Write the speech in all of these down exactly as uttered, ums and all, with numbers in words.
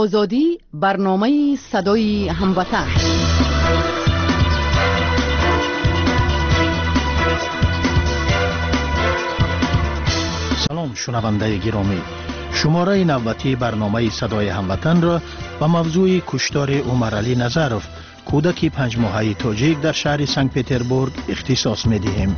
Озодӣ, барномаи садои ҳамватан. Салом, шунавандаи гиромӣ. Шумораи навбатии барномаи садои ҳамватанро ба мавзӯи куштори Умаралӣ Назаров, кӯдаки панҷмоҳаи тоҷик дар шаҳри Санкт-Петербург ихтисос медиҳем.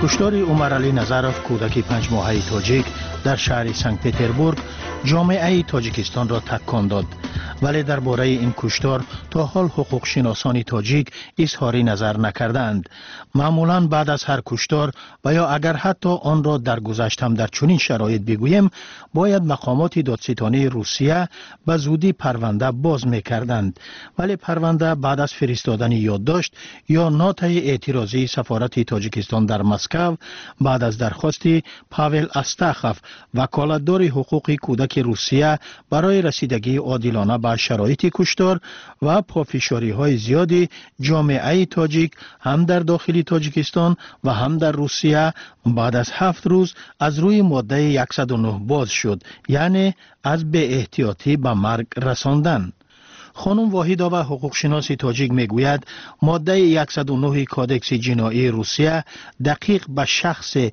Куштори Умаралӣ Назаров, кӯдаки панҷмоҳаи тоҷик дар шаҳри Санкт-Петербург, ҷомеаи Тоҷикистонро такон дод. Вале дар бораи ин куштор то ҳол ҳуқуқшиносони тоҷик изҳори назар накардаанд. Маъмулан баъд аз ҳар куштор ва ё агар ҳатто онро дар гузашт ҳам дар чунин шароит бигӯем, бояд мақомоти додситонии Русия ба зудӣ парванда боз мекарданд. Вале парванда баъд аз фиристодани ёддошт ё нотаи эътирозии сафорати Тоҷикистон дар Москав баъд аз дархости Павел Астахов, ваколатдори ҳуқуқи кӯдаки Русия барои расидагии одилона ба шароити куштор ва пофишориҳои зиёди ҷомеаи тоҷик ҳам дар дохили Тоҷикистон ва ҳам дар Русия, баъд аз ҳафт рӯз аз рӯи моддаи яксаду нӯҳ боз шуд, яъне аз беэҳтиётӣ ба марг расондан. Хонум Воҳидова, ҳуқуқшиноси тоҷик, мегӯяд, моддаи яксаду нӯҳи Кодекси ҷиноии Русия дақиқ ба шахсе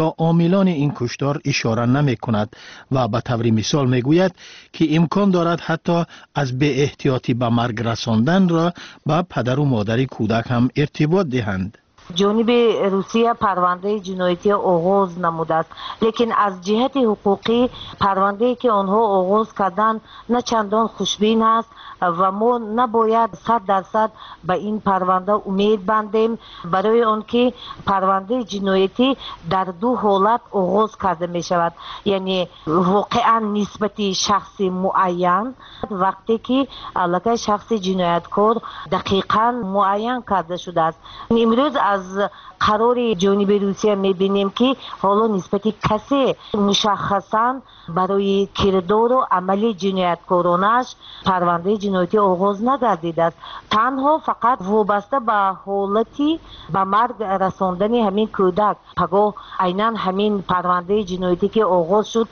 ё омилони ин куштор ишора намекунад ва ба таври мисол мегӯяд, ки имкон дорад ҳатто аз беэҳтиётӣ ба марг расонданро ба падару модари кӯдак ҳам иртибот диҳанд. Ҷониби Русия парвандаи ҷиноятӣ оғоз намудааст, лекин аз ҷиҳати ҳуқуқӣ парвандае, ки онҳо оғоз карданд, на чандон хушбин аст ва мо набояд сад дарсад ба ин парванда умед бандем, барои он ки парвандаи ҷиноятӣ дар ду ҳолат оғоз карда мешавад, яъне воқеан нисбати шахси муайян, вақте ки аллакай шахси ҷинояткор дақиқан муайян карда шудааст. Имрӯз аз қарори ҷониби Русия мебинем, ки ҳоло нисбати касе мушаххасан барои кирдору амали ҷинояткоронаш парвандаи ҷиноятӣ оғоз нагардидааст. Танҳо фақат вобаста ба ҳолати ба марг расондани ҳамин кӯдак. Пагоҳ айнан ҳамин парвандаи ҷиноятӣ, ки оғоз шуд,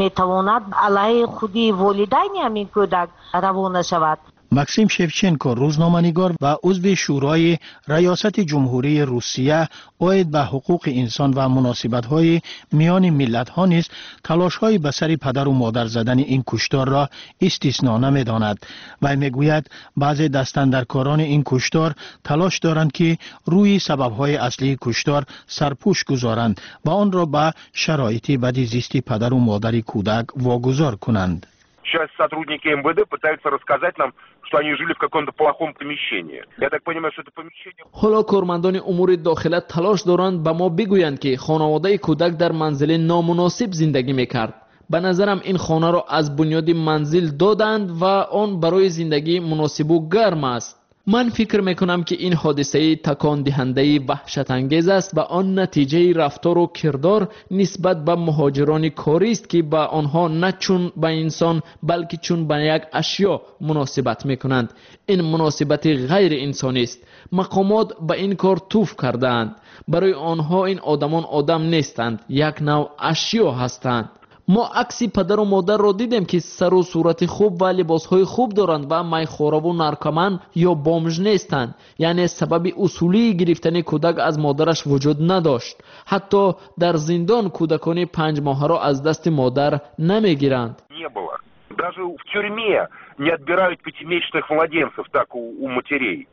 метавонад алайҳи худи волидайни ҳамин кӯдак равона шавад. Максим Шевченко, рӯзноманигор ва узви Шӯрои Раёсати Ҷумҳурии Русия оид ба ҳуқуқи инсон ва муносибатҳои миёни миллатҳо низ талошҳои ба сари падару модар задани ин кушторро истисно намедонад. Вай мегӯяд, баъзе дастандаркорони ин куштор талош доранд, ки рӯи сабабҳои аслии куштор сарпӯш гузоранд ва онро ба шароити бади зисти падару модари кӯдак вогузор кунанд. Сейчас сотрудники М В Д пытаются рассказать нам, что они жили в каком-то плохом помещении. Я так понимаю, что это помещение. Ҳоло кормандони умури дохила талош доранд ба мо бигӯянд, ки хонаводаи кӯдак дар манзили номуносиб зиндагӣ мекард. Ба назарам, ин хонаро аз бунёди манзил доданд ва он барои зиндагӣ муносибу гарм аст. Ман фикр мекунам, ки ин ҳодисаи такондиҳандаи ваҳшатангез аст ва он натиҷаи рафтору кирдор нисбат ба муҳоҷирони корист, ки ба онҳо на чун ба инсон, балки чун ба як ашё муносибат мекунанд. Ин муносибати ғайриинсонист. Мақомот ба ин кор туф кардаанд. Барои онҳо ин одамон одам нестанд, як навъ ашё ҳастанд. Мо акси падару модарро дидем, ки сару сурати хуб ва либосҳои хуб доранд ва майхораву наркоман ё бомж нестанд, яъне сабаби усулии гирифтани кӯдак аз модараш вуҷуд надошт. Ҳатто дар зиндон кӯдакони панҷмоҳаро аз дасти модар намегиранд. Не было. Даже в тюрьме не отбирают пятимесячных младенцев так у, у матерей.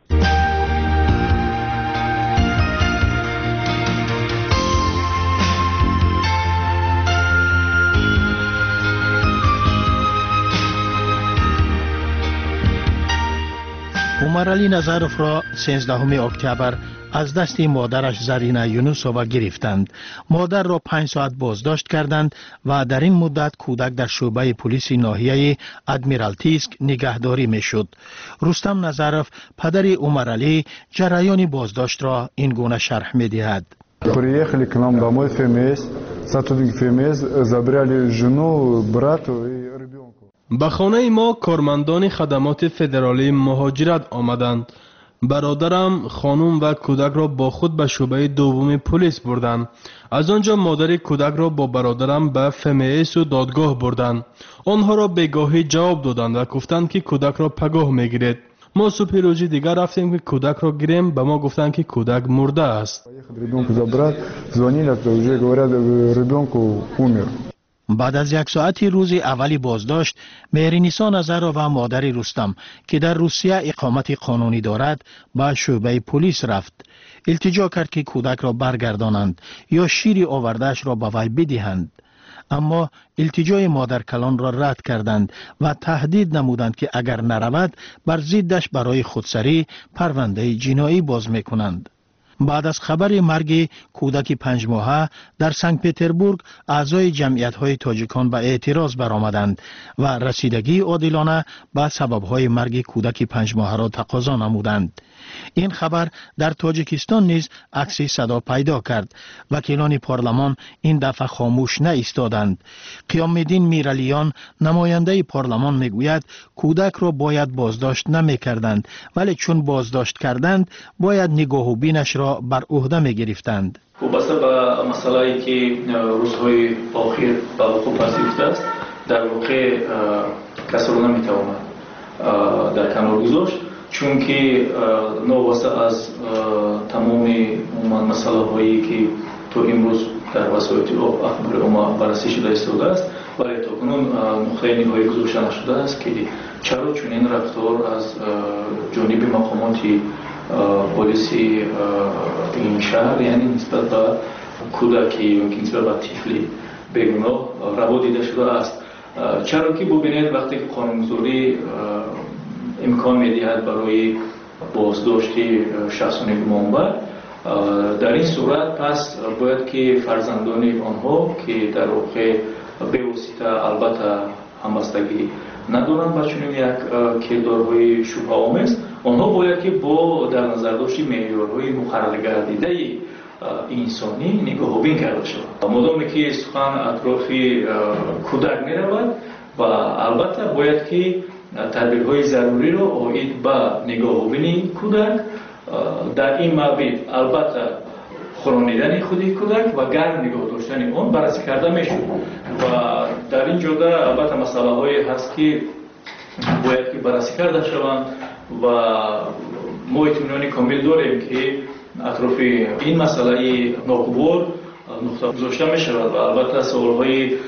Умаралӣ Назаровро сенздаҳуми октябр аз дасти модараш Зарина Юнусова гирифтанд. Модарро панҷ соат боздошт карданд ва дар ин муддат кӯдак дар шӯъбаи пулиси ноҳияи Адмиралтийск нигаҳдорӣ мешуд. Рустам Назаров, падари Умаралӣ, ҷараёни боздоштро ин гуна шарҳ медиҳад. Приехали к нам домой Ф М С, сотрудники Ф М С забрали жену, брату и ребенку. Ба хонаи мо кормандони хадамоти федералии муҳоҷират омаданд. Бародарам, хонум ва кӯдакро бо худ ба шӯъбаи дуввуми полис бурданд. Аз он ҷо модари кӯдакро бо бародарам ба Ф М С-у додгоҳ бурданд. Онҳоро бегоҳӣ ҷавоб доданд ва гуфтанд, ки кӯдакро пагоҳ мегиред. Мо субҳи рӯзи дигар рафтем, ки кӯдакро гирем, ба мо гуфтанд, ки кӯдак мурдааст. Ребенку забрать, звонили, уже говорят, ребенку умер. Баъд аз як соати рӯзи аввали боздошт, Меҳринисо Назарова, модари Рустам, ки дар Русия иқомати қонунӣ дорад, ба шӯъбаи полис рафт. Илтиҷо кард, ки кӯдакро баргардонанд ё шири овардаашро ба вай бидиҳанд. Аммо илтиҷои модаркалонро рад карданд ва таҳдид намуданд, ки агар наравад, бар зиддаш барои худсарӣ парвандаи ҷиноӣ боз мекунанд. Баъд аз хабари марги кӯдаки панҷмоҳа дар Санкт Петербург аъзои ҷамъиятҳои тоҷикон ба эътироз баромаданд ва расидагии одилона ба сабабҳои марги кӯдаки панҷмоҳаро тақозо намуданд. Ин хабар дар Тоҷикистон низ акси садо пайдо кард. Вакилони парлумон ин дафъа хомӯш наистоданд. Қиёмиддин Миралиён, намояндаи парлумон, мегӯяд, кӯдакро бояд боздошт намекарданд, вале чун боздошт карданд, бояд нигоҳубинашро бар ӯҳда мегирифтанд. Вобаста ба масъалае, ки рӯзҳои охир ба вуқӯъ пазируфтааст, дар воқеъ касро наметавонад дар канор гузошт, чунки новобаста аз тамоми умуман масъалаҳое, ки то имрӯз дар васоити ахбори омма баррасӣ шуда истодааст, вале то кунун нуқтаи ниҳоӣ гузошта нашудааст, ки чаро чунин рафтор аз ҷониби мақомоти полиси ин шаҳр, яъне нисбат ба кӯдаки ё ки нисбат ба тифли бегуноҳ раво дида шудааст. Чаро ки бубинед, вақте ки қонунгузорӣ имкон медиҳад барои боздошти шахсони гумонбар, дар ин сурат пас бояд ки фарзандони онҳо, ки дар воқеъ бевосита албатта ҳамбастагӣ надоранд ба чунин як кирдорҳои шубҳаомез, онҳо бояд ки бо дар назардошти меъёрҳои муқарраргардидаи инсонӣ нигоҳубин карда шавад. Модоме ки сухан атрофи кӯдак меравад ва албатта бояд ки тадбирҳои заруриро оид ба нигоҳубини кӯдак, дар ин маврид албатта хӯронидани худи кӯдак ва гарм нигоҳ доштани он баррасӣ карда мешуд. Ва дар ин ҷода албатта масъалаҳое ҳаст, ки бояд ки баррасӣ карда шаванд ва мо итминони комил дорем, ки атрофи ин масъалаи ногувор нуқта гузошта мешавад ва албатта саволҳои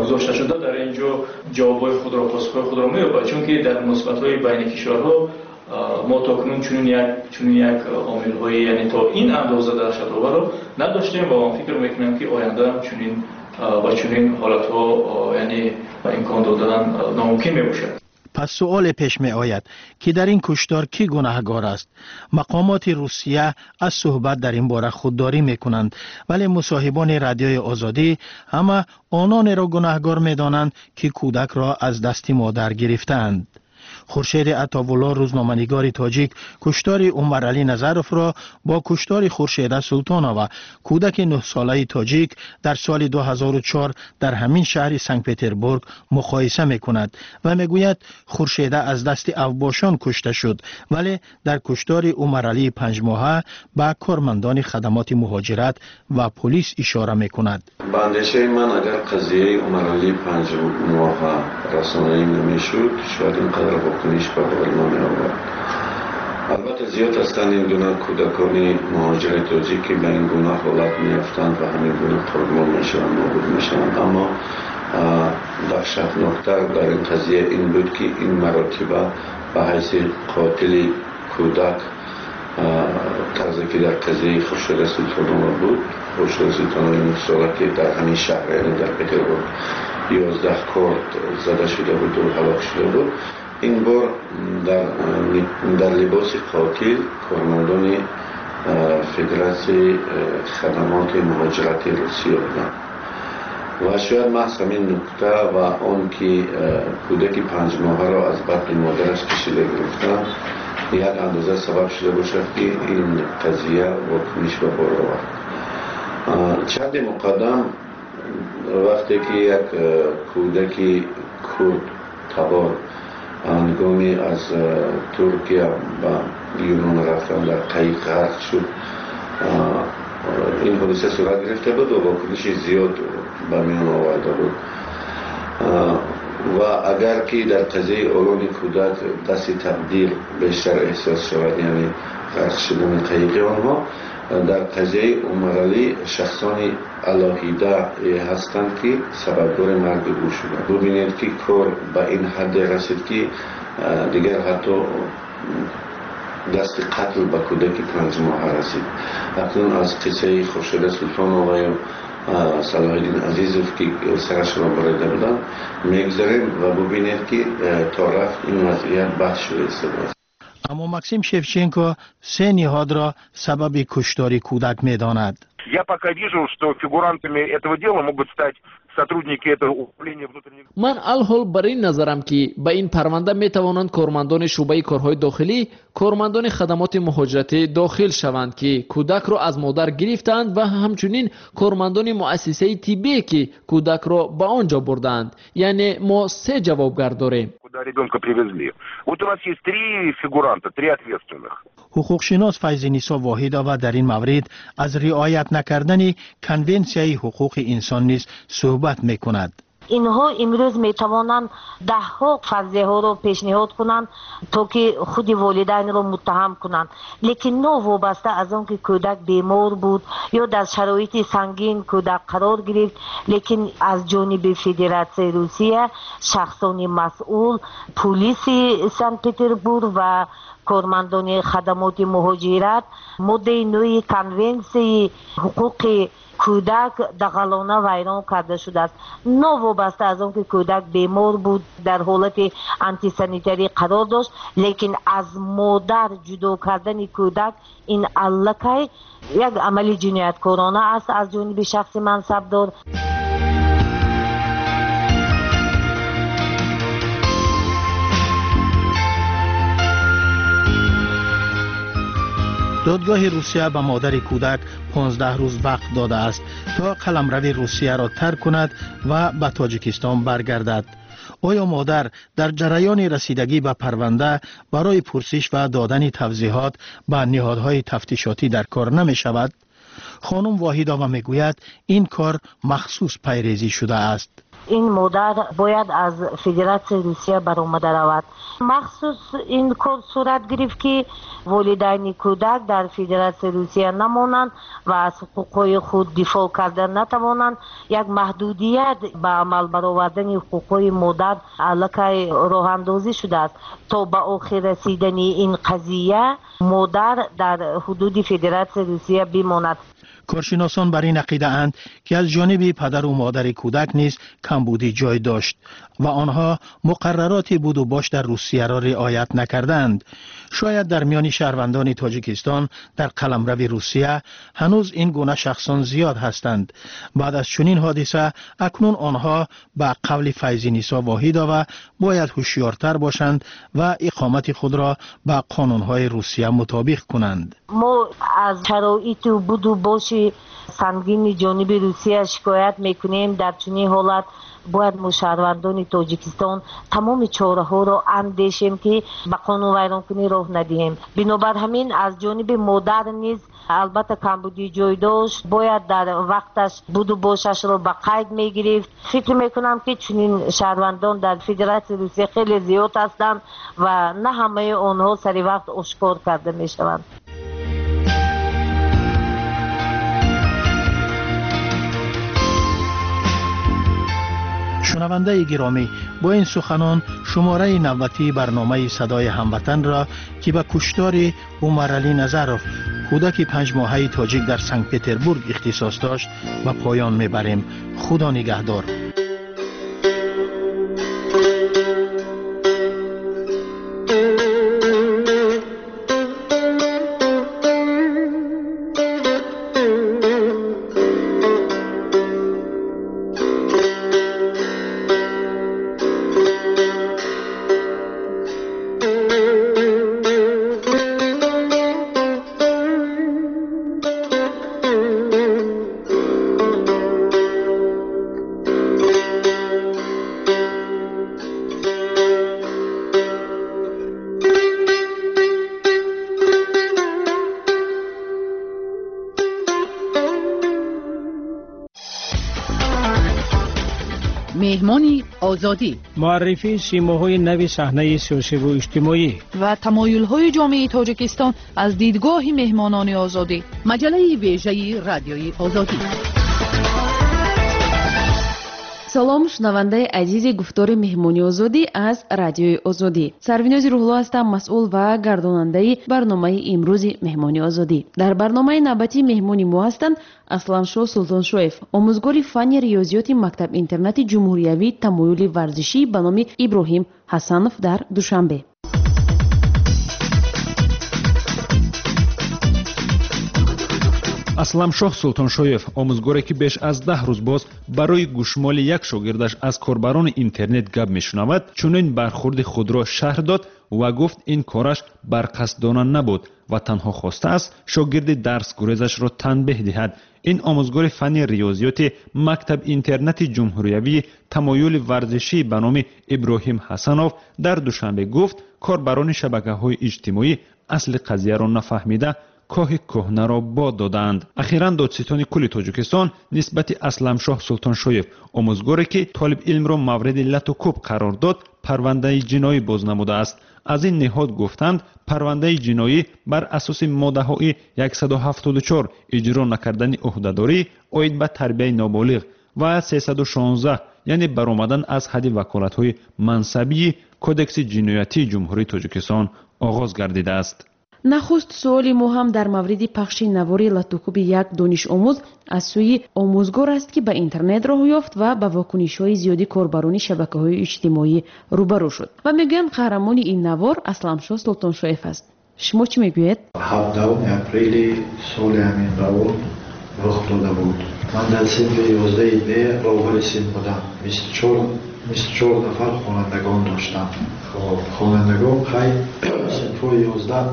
гузошташуда дар ин ҷо ҷавобҳои худро, посухҳои худро меёбад, чунки дар муносибатҳои байни кишварҳо мо то кунун чунин як чунин як омилҳои, яъне то ин андоза даҳшатоварро надоштем ва ман фикр мекунам, ки оянда чунин ба чунин ҳолатҳо, яъне имкон додан номумкин мебошад. Пас суоле пеш меояд, ки дар ин куштор кӣ гунаҳгор аст? Мақомоти Русия аз суҳбат дар ин бора худдорӣ мекунанд, вале мусоҳибони Радиои Озодӣ ҳама ононеро гунаҳгор медонанд, ки кӯдакро аз дасти модар гирифтаанд. Хуршеди Атовулло, рӯзноманигори тоҷик, куштори Умаралӣ Назаровро бо куштори Хуршеда Султонова, кӯдаки нӯҳсолаи тоҷик, дар соли ду ҳазору чор дар ҳамин шаҳри Санкт Петербург муқоиса мекунад ва мегӯяд, Хуршеда аз дасти авбошон кушта шуд, вале дар куштори Умаралии панҷмоҳа ба кормандони хадамоти муҳоҷират ва полис ишора мекунад. Ба андешаи ман, агар қазияи Умаралии панҷмоҳа расонаӣ намешуд, шояд ин қадар вокуниш ба бор намеовард. Албатта, зиёд ҳастанд ин гуна кӯдакони муҳоҷири тоҷик, ки ба ин гуна ҳолат меафтанд ва ҳамин гуна қурбон мешаванд, нобуд мешаванд. Аммо даҳшатноктар дар ин қазия ин буд, ки ин маротиба ба ҳайси қотили кӯдак, тарзе ки дар қазияи Хуршеда Султонова буд, Хуршеда Султонова нӯҳсола, ки дар ҳамин шаҳр, яъне дар Петербург, ёздаҳ корд зада шуда буду ҳалок шуда буд, ин бор дар либоси қотил кормандони Федератсияи хадамоти муҳоҷирати Русия буданд. Ва шояд маҳз ҳамин нукта ва он ки кӯдаки панҷмоҳаро аз батни модараш кашида гирифтанд, як андоза сабаб шуда бошад, ки ин қазия вокуниш ба бор овард. Чанде муқаддам, вақте ки як кӯдаки курд табор Ҳангоми аз Туркия ба Юнон рафтан дар қайиқ ғарқ шуд. Ин ҳодиса сурат гирифта буд ва вокуниши зиёд ба миён оварда буд. Ва агар ки дар қазияи олони кӯдак дасти тақдир бештар эҳсос шавад, яъне ғарқ шудани қайиқи онҳо, дар қазияи Умаралӣ шахсони алоҳида ҳастанд, ки сабабгори марги ӯ шуданд. Бубинед, ки кор ба ин ҳадде расид, ки дигар ҳатто дасти қатл ба кӯдаки панҷмоҳа расид. Акнун аз қиссаи Хуршеда Султонова ё Салоҳиддин Азизов, ки сарашро бурида буданд, мегузарем ва бубинед, ки то рафт ин вазъият баҳс шуда истодааст. Аммо Максим Шевченко се ниҳодро сабаби куштори кӯдак медонад. Я пока вижу, что фигурантами этого дела могут стать сотрудники этого управления внутренних... Ман алҳол бар ин назарам, ки ба ин парванда метавонанд кормандони шӯъбаи корҳои дохилӣ, кормандони хадамоти муҳоҷиратӣ дохил шаванд, ки кӯдакро аз модар гирифтаанд, ва ҳамчунин кормандони муассисаи тиббие, ки кӯдакро ба он ҷо бурдаанд. Яъне мо се ҷавобгар дорем. Куда ребенка привезли. Вот у нас есть три фигуранта, три ответственных. Ҳуқуқшинос Файзинисо Воҳидова дар ин маврид аз риоят накардани Конвенсияи ҳуқуқи инсон низ суҳбат мекунад. Инҳо имрӯз метавонанд даҳҳо фарзияҳоро пешниҳод кунанд, то ки худи волидайнро муттаҳам кунанд, лекин новобаста аз он ки кӯдак бемор буд ё дар шароити сангин кӯдак қарор гирифт, лекин аз ҷониби Федератсияи Русия шахсони масъул, пулиси Санкт-Петербург ва кормандони хадамоти муҳоҷират моддаи нӯҳи Конвенсияи ҳуқуқи кӯдак дағалона вайрон карда шудааст. Новобаста аз он ки кӯдак бемор буд, дар ҳолати антисанитарӣ қарор дошт, лекин аз модар ҷудо кардани кӯдак ин аллакай як амали ҷинояткорона аст аз ҷониби шахси мансабдор. Додгоҳи Русия ба модари кӯдак понздаҳ рӯз вақт додааст, то қаламрави Русияро тарк кунад ва ба Тоҷикистон баргардад. Оё модар дар ҷараёни расидагӣ ба парванда барои пурсиш ва додани тавзеҳот ба ниҳодҳои тафтишотӣ дар кор намешавад? Хонум Воҳидова мегӯяд, ин кор махсус пайрезӣ шудааст. Ин модар бояд аз Федератсияи Русия баромада равад. Махсус ин кор сурат гирифт, ки волидайни кӯдак дар Федератсияи Русия намонанд ва аз ҳуқуқҳои худ дифоъ карда натавонанд. Як маҳдудият ба амал баровардани ҳуқуқҳои модар аллакай роҳандозӣ шудааст. То ба охир расидани ин қазия модар дар ҳудуди Федератсияи Русия бимонад. Коршиносон бар ин ақидаанд, ки аз ҷониби падару модари кӯдак низ камбудӣ ҷой дошт ва онҳо муқаррароти буду бош дар Русияро риоят накарданд. Шояд дар миёни шаҳрвандони Тоҷикистон дар қаламрави Русия ҳанӯз ин гуна шахсон зиёд ҳастанд. Баъд аз чунин ҳодиса акнун онҳо ба қавли Файзинисо Воҳидова бояд ҳушёртар бошанд ва иқомати худро ба қонунҳои Русия мутобиқ кунанд. Мо аз шароиту буду боши сангини ҷониби Русия шикоят мекунем. Дар чунин ҳолат бояд мо шаҳрвандони Тоҷикистон тамоми чораҳоро андешем, ки ба қонунвайронкунӣ роҳ надиҳем. Бинобар ҳамин аз ҷониби модар низ албатта камбудӣ ҷой дошт, бояд дар вақташ буду бошашро ба қайд мегирифт. Фикр мекунам, ки чунин шаҳрвандон дар Федератсияи Русия хеле зиёд ҳастанд ва на ҳамаи онҳо сари вақт ошкор карда мешаванд. Шунавандаи гиромӣ, бо ин суханон шумораи навбатии барномаи «Садои ҳамватанро», ки ба куштори Умаралӣ Назаров, кӯдаки панҷмоҳаи тоҷик дар Санкт-Петербург ихтисос дошт, ба поён мебарем. Худо нигаҳдор. Меҳмони Озодӣ. Муаррифии симоҳои нави саҳнаи сиёсиву иҷтимоӣ ва тамоюлҳои ҷомеаи Тоҷикистон аз дидгоҳи меҳмонони Озодӣ. Маҷаллаи вежаи Радиои Озодӣ. Салом, шунавандаи азизи гуфтори меҳмони Озодӣ аз Радиои Озодӣ. Сарвинози Рӯҳулло ҳастам, масъул ва гардонандаи барномаи имрӯзи меҳмони Озодӣ. Дар барномаи навбатӣ меҳмони мо ҳастанд Асланшоҳ Султоншоев, омӯзгори фанни риёзиёти мактаб-интернати ҷумҳуриявии тамоюли варзишӣ ба номи Иброҳим Ҳасанов дар Душанбе. Асламшоҳ Султоншоев, омӯзгоре ки беш аз даҳ рӯз боз барои гӯшмоли як шогирдаш аз корбарони интернет гап мешунавад, чунин бархурди худро шарҳ дод ва гуфт ин кораш барқасдона набуд ва танҳо хостааст шогирди дарсгурезашро танбеҳ диҳад. Ин омӯзгори фанни риёзиёти мактаб-интернати ҷумҳуриявии тамоюли варзишӣ ба номи Иброҳим Ҳасанов дар Душанбе гуфт корбарони шабакаҳои иҷтимоӣ асли қазияро нафаҳмида коҳи кӯҳнаро бод додаанд. Ахиран додситони кулли Тоҷикистон нисбати Асламшоҳ Султоншоев, омӯзгоре ки толибилмро мавриди лату кӯб қарор дод, парвандаи ҷиноӣ боз намудааст. Аз ин ниҳод гуфтанд, парвандаи ҷиноӣ бар асоси моддаҳои яксаду ҳафтоду чор иҷро накардани ӯҳдадорӣ оид ба тарбияи ноболиғ ва сесаду шонздаҳ, яъне баромадан аз ҳадди ваколатҳои мансабии Кодекси ҷиноятии Ҷумҳурии Тоҷикистон оғоз гардидааст. Нахуст суоли мо ҳам дар мавриди пахши навори латукӯби як донишомӯз аз сӯи омӯзгор аст, ки ба интернет роҳ ёфт ва ба вокунишҳои зиёди корбарони шабакаҳои иҷтимоӣ рӯбарӯ шуд. Ва мегӯянд қаҳрамони ин навор Асланшоҳ Султоншоев аст. Шумо чӣ мегӯед? Ҳабдаҳуми апрели соли ҳамин равон рух дода буд. Ман дар синфи ёздаҳи Б роҳбари синф будам. Бисту чор нафар хонандагон доштам. Хонандагон хай синфҳои ёздаҳ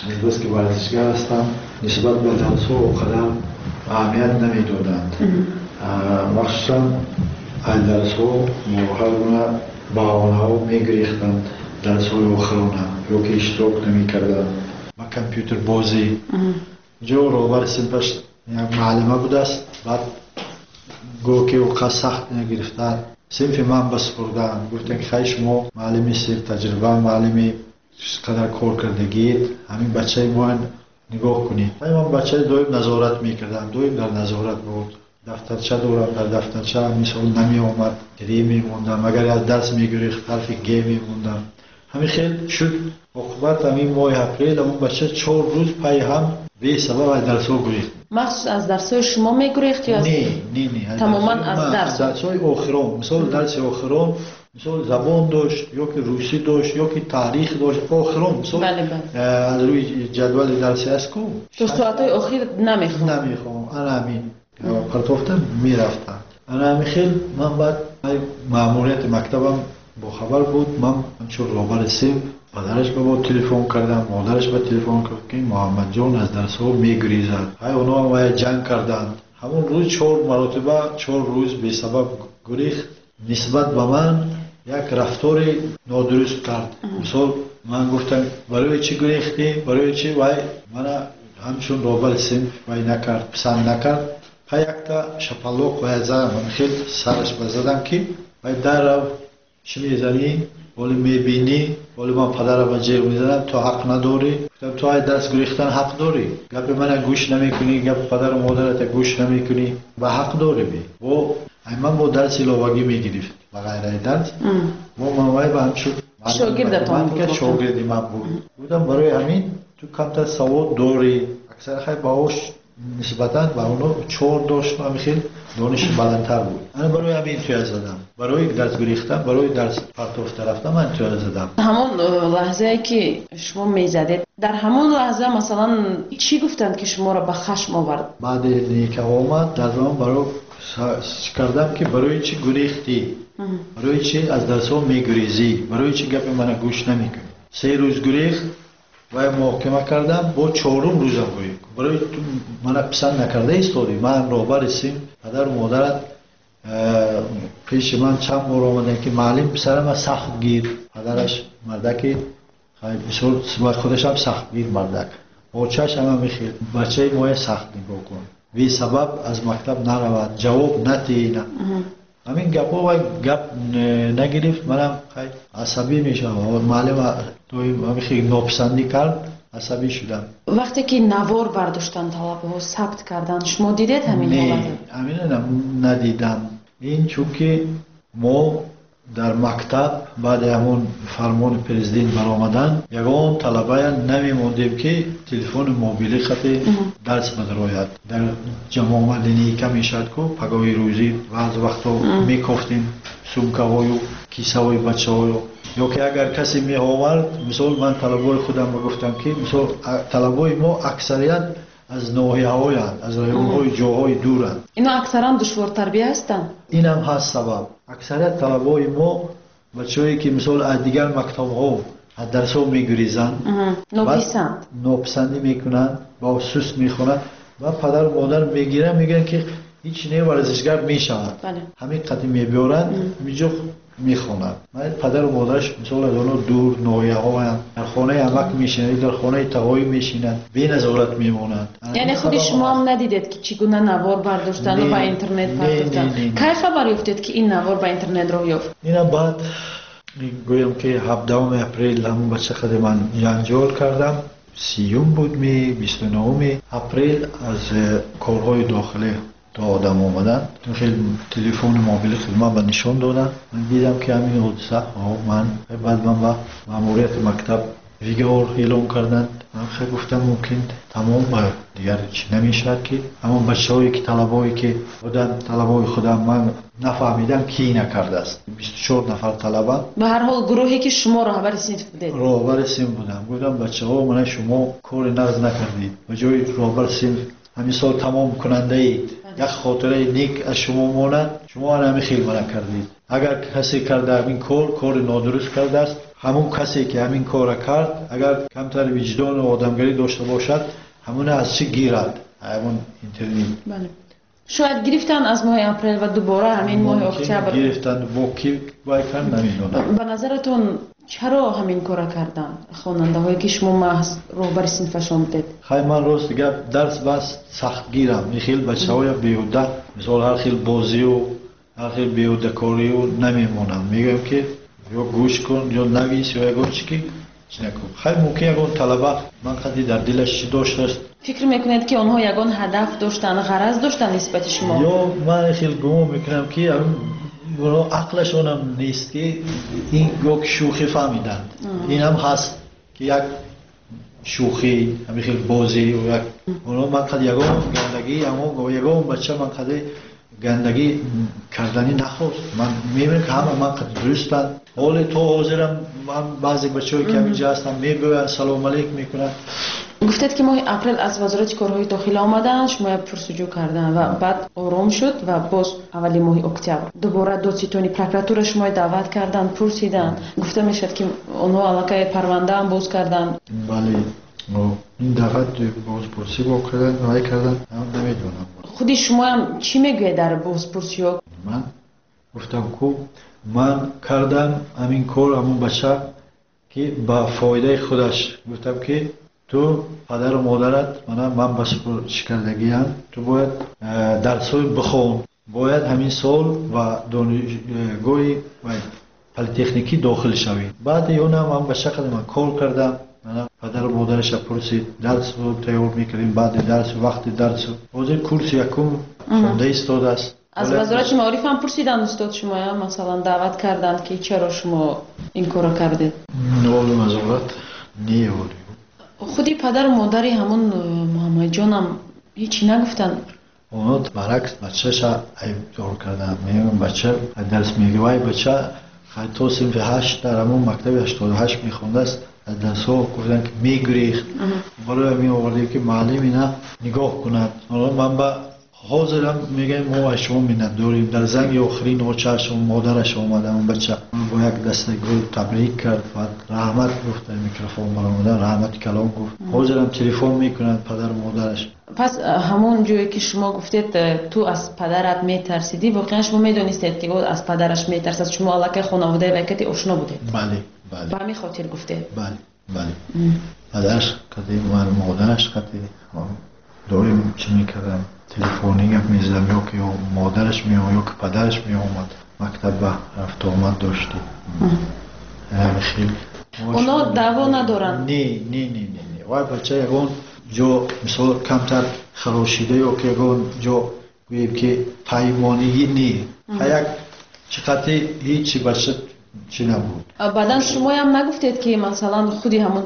нисбат ки варзишгар ҳастанд, нисбат ба дарсҳо он қадар аҳамият намедоданд. Махсусан аз дарсҳо ҳар гуна баҳонаҳо мегирифтанд, дарсҳои охирона ё ки иштирок намекарданд ба компютербозӣ. Ҷо роҳбари синфаш як муаллима будааст, баъд гоҳ ки он қадр сахт нагирифтанд, синфи ман ба супурданд. Гуфтанд ки хай шумо муаллими синф таҷриба, муаллими қадар кор кардагиед, ҳамин бачаи мо нигоҳ кунед. Ман бачаи доим назорат мекардам, доим дар назорат буд. Дафтарча дорам, дар дафтарча мисол намеомад, ре мемондам, агар аз дарс мегирифт ҳарфи г мемондам. Ҳамин хел шуд. Оқибат ҳамин моҳи апрел ҳамон бача чор рӯз пайи ҳам бесабаб аз дарсҳо гурехт. Махсус аз дарсҳои шумо мегурехт ё не, не, не, тамоман аз дарс? Дарсҳои охирон, мисол дарси охирон, мисол забон дошт, ё ки русӣ дошт, ё ки таърих дошт. Охирон мисол аз рӯи ҷадвали дарси аст ку то соатҳои охир намехонд, намехонд. Ана ҳамин партофта мерафтанд. Ана ҳамин хел ман баъд маъмурияти мактабам бохабар буд. Ман ҳамчун роҳбари синф падараш ба бо телефон кардам, модараш ба телефон кард ки Муҳаммадҷон аз дарсҳо мегурезад. Ҳай онҳо вая ҷанг карданд. Ҳамон рӯз чор маротиба, чор рӯз бесабаб гурехт. Нисбат ба ман як рафтори нодуруст кард. Мисол ман гуфтам барои чӣ гурехтӣ, барои чӣ? Вай мана ҳамчун роҳбари синф вай накард, писанд накард. Ҳай якта шапалоқ вая задам, хел сараш ба задам ки вай дарав чӣ мезанӣ, ҳоле мебинӣ, ҳоле ман падарама ҷеғ мезанам, ту ҳақ надорӣ. Гуфтам ту ай дарс гурехтан ҳақ дорӣ, гапи мана гӯш намекунӣ, гапи падару модарата гӯш намекунӣ, ба ҳақ дорӣ бе. Бо ай ман бо дарси иловагӣ мегирифт ба ғайраи дарс. Бо ман вай ба ҳамчун шогирдатон буд, шогирди ман буд. Гуфтам барои ҳамин ту камтар савод дорӣ, аксар хай баҳош нисбатан ба оно чор дошт, ҳамин хел дониши баландтар буд. Ана барои ҳамин туя задам, барои дарс гурехтан, барои дарс партофта рафтан ман туя задам. Ҳамон лаҳзае ки шумо мезадед, дар ҳамон лаҳза масалан чӣ гуфтанд ки шуморо ба хашм овард? Баъди ника омад, дар он барои кардам ки барои чӣ гурехтӣ, барои чӣ аз дарсҳо мегурезӣ, барои чӣ гапи мана гӯш намекунӣ. Се рӯз гурехт, вай муҳокима кардам, бо чорум рӯзам гурехт. Барои ту мана писанд накарда истодӣ, ман роҳбари синф, падару модарат пеши ман чанд бор омаданд ки муаллим писарама сахт гир. Падараш мардаки бисёр худашам сахтгир мардак, очаш ҳама мехел бачаи моя сахт нигоҳ кун, бесабаб аз мактаб наравад, ҷавоб натиҳ. Ҳамин гапҳо вай гап нагирифт, манам асабӣ мешавам. Муаллим доим нописандӣ кард, асабӣ шудам. Вақте ки навор бардоштан, талабаҳо сабт карданд, шумо дидед ҳамин ҳолатро? Не, ҳаминро надидам. Ин чунки мо дар мактаб баъди ҳамон фармони президент баромадан ягон талабая намемондем, ки телефони мобилӣ хати дарс бадарояд. Дар ҷамоа линейка мешавад ку, пагоҳи рӯзӣ баъзе вақтҳо мекофтем сумкаҳою кисаҳои бачаҳою, ё ки агар касе меовард, мисол ман талабаи худам гуфтам, ки мисол талабаи мо аксарият аз ноҳияҳоянд, аз районҳои ҷоҳои дуранд. Ино аксаран душвортарбия ҳастанд? Инам ҳаст сабаб. Аксарият талабаи мо бачаҳое ки мисол аз дигар мактабҳо аз дарсҳо мегурезанд, нописанд, нописандӣ мекунанд ва суст мехонанд ва падару модар мегиранд, мегӯянд ки ҳеҷ не, варзишгар мешавад. Ҳамин қадим мебиёранд, ҳаминҷо мехонанд. Падару модараш мисол аз онҳо дур ноҳияҳоянд, дар хонаи амак мешинанд, дар хонаи тағоӣ мешинанд, беназорат мемонанд. Яъне худи шумо ҳам надидед, ки чӣ гуна навор бардоштану ба интернет партофтанд? Кай хабар ёфтед, ки ин навор ба интернет роҳ ёфт? Ина баъд гӯям, ки ҳабдаҳуми апрел ҳамон бача қади ман ҷанҷол кардам. Сиюм буд ми, бисту нуҳуми апрел аз корҳои дохилӣ то одам омаданд, хеле телефони мобили хидмат ба нишон доданд. Ман дидам, ки ҳамин ҳодиса. Ман баъд ман ба маъмурияти мактаб вигор эълон карданд. Ман хеле гуфтам, мумкин тамом, дигар чӣ намешавад, ки ҳамон бачаҳое ки талабое ки буданд, талабои худам, ман нафаҳмидам, ки накардааст. Бисту чор нафар талаба. Ба ҳар ҳол гурӯҳе ки шумо роҳбари синф будед? Роҳбари синф будам. Гуфтам, бачаҳо, мана шумо кори нағз накардед, ба ҷои роҳбари синф ҳамин сол тамом кунандаед, як хотираи нек аз шумо монад, шумо ана ҳамин хел мана кардед. Агар касе карда ҳамин кор, кори нодуруст кардааст, ҳамон касе ки ҳамин корро кард, агар камтар виҷдону одамгарӣ дошта бошад, ҳамона аз чӣ гирад ҳамон интернет. Шояд гирифтанд аз моҳи апрел ва дубора ҳамин моҳи октябр гирифтанд, бо ки вай кард намедонам. Ба назаратон чаро ҳамин корро карданд хонандаҳое, ки шумо маҳз роҳбари синфашон будед? Хай, ман рост гап, дарс бас сахтгирам. Ин хел бачаҳоя беҳуда, мисол ҳар хел бозию ҳар хел беҳудакорию намемонам. Мегӯям, ки ё гӯш кун, ё навис, ё ягон чи ки чӣ накун. Хай, мумкин ягон талаба ман қади дар дилаш чӣ доштааст. Фикр мекунед, ки онҳо ягон ҳадаф доштанд, ғараз доштанд нисбати шумо? Ё ман хел гумон мекунам, ки онҳо ақлашонам нест, ки ин ё ки шӯхӣ фаҳмиданд. Инам ҳаст, ки як шӯхӣ, ҳамин хел бозӣ, як онҳо ман қад ягон гандагӣ, ҳамон ягон бача ман қади гандагӣ карданӣ нахост. Ман мебинам, ки ҳама ман қад дурустанд. Ҳоле то ҳозирам ман баъзе бачаҳое ки ҳаминҷо ҳастанд, мебиёянд, салому алейк мекунанд. Гуфтед, ки моҳи апрел аз вазорати корҳои дохила омаданд, шумо пурсуҷӯ карданд ва баъд ором шуд ва боз аввали моҳи октябр дубора додситони прокуратура шуморо даъват карданд, пурсиданд. Гуфта мешавад, ки онҳо аллакай парвандаам боз карданд. Бале, ин дафъа бозпурсӣ бо карданд, вай карданд, намедонам. Худи шумоам чӣ мегӯед дар бозпурсиҳо? Ман гуфтам, ку ман кардам ҳамин кор, ҳамон бача ки ба фоидаи худаш. Гуфтам, ки ту падару модарат мана ман ба шикардагиам, ту бояд дарсҳои бихон, бояд ҳамин сол ба донишгоҳи политехникӣ дохил шавӣ. Баъди онам ман ба шакли ман кор кардам. Падару модараша пурсид, дарсро тайёр мекардем, баъди дарс, вақти дарсу. Ҳозир курси якум хонда истодааст. Аз вазорати маориф ҳам пурсиданд устод шумоя, масалан даъват карданд, ки чаро шумо ин корро кардед? Ҳоло вазорат не, ҳоло. Худи падару модари ҳамон Муҳаммадҷонам ҳеҷ нагуфтанд? Онҳо баръакс бачаша айбдор карданд. Мегӯям, бача дарс мегӯяд, вай бача то синфи ҳашт дар ҳамон мактаби ҳаштоду ҳашт мехондааст, аз дарсҳо гуфтанд, ки мегурехт. Барои ҳамин овардем, ки муаллим ина нигоҳ кунад. Ҳоло ман ба ҳозирам мегӯям, мо аз шумо миннатдорем. Дар занги охирин очааш модараш омада, он бача бо як дастаи гул табрик кард, баъд раҳмат гуфт, дар микрофон баромада раҳмати калом гуфт. Ҳозирам телефон мекунанд падару модараш. Пас ҳамон ҷое ки шумо гуфтед, ту аз падарат метарсидӣ, воқеан шумо медонистед, ки ӯ аз падараш метарсад? Шумо аллакай хонаводаи вайкати ошно будед? Бале, бале. Ба ҳамин хотир гуфтед? Бале, бале. Падараш қади, модараш қади доим чӣ мекардам. Телефонӣ гап мезадам, ё ки модараш меомад, ё ки падараш меомад. Мактаб ба рафту омад доштем. Ҳамин хел. Оно даъво надоранд? Не, не, не, не, не. Вай бача ягон ҷо мисол камтар харошида ё ки ягон ҷо гӯем ки паймонигӣ не. Як чиқати ҳеҷи бача чӣ набуд. Баъдан шумоям нагуфтед ки масалан худи ҳамон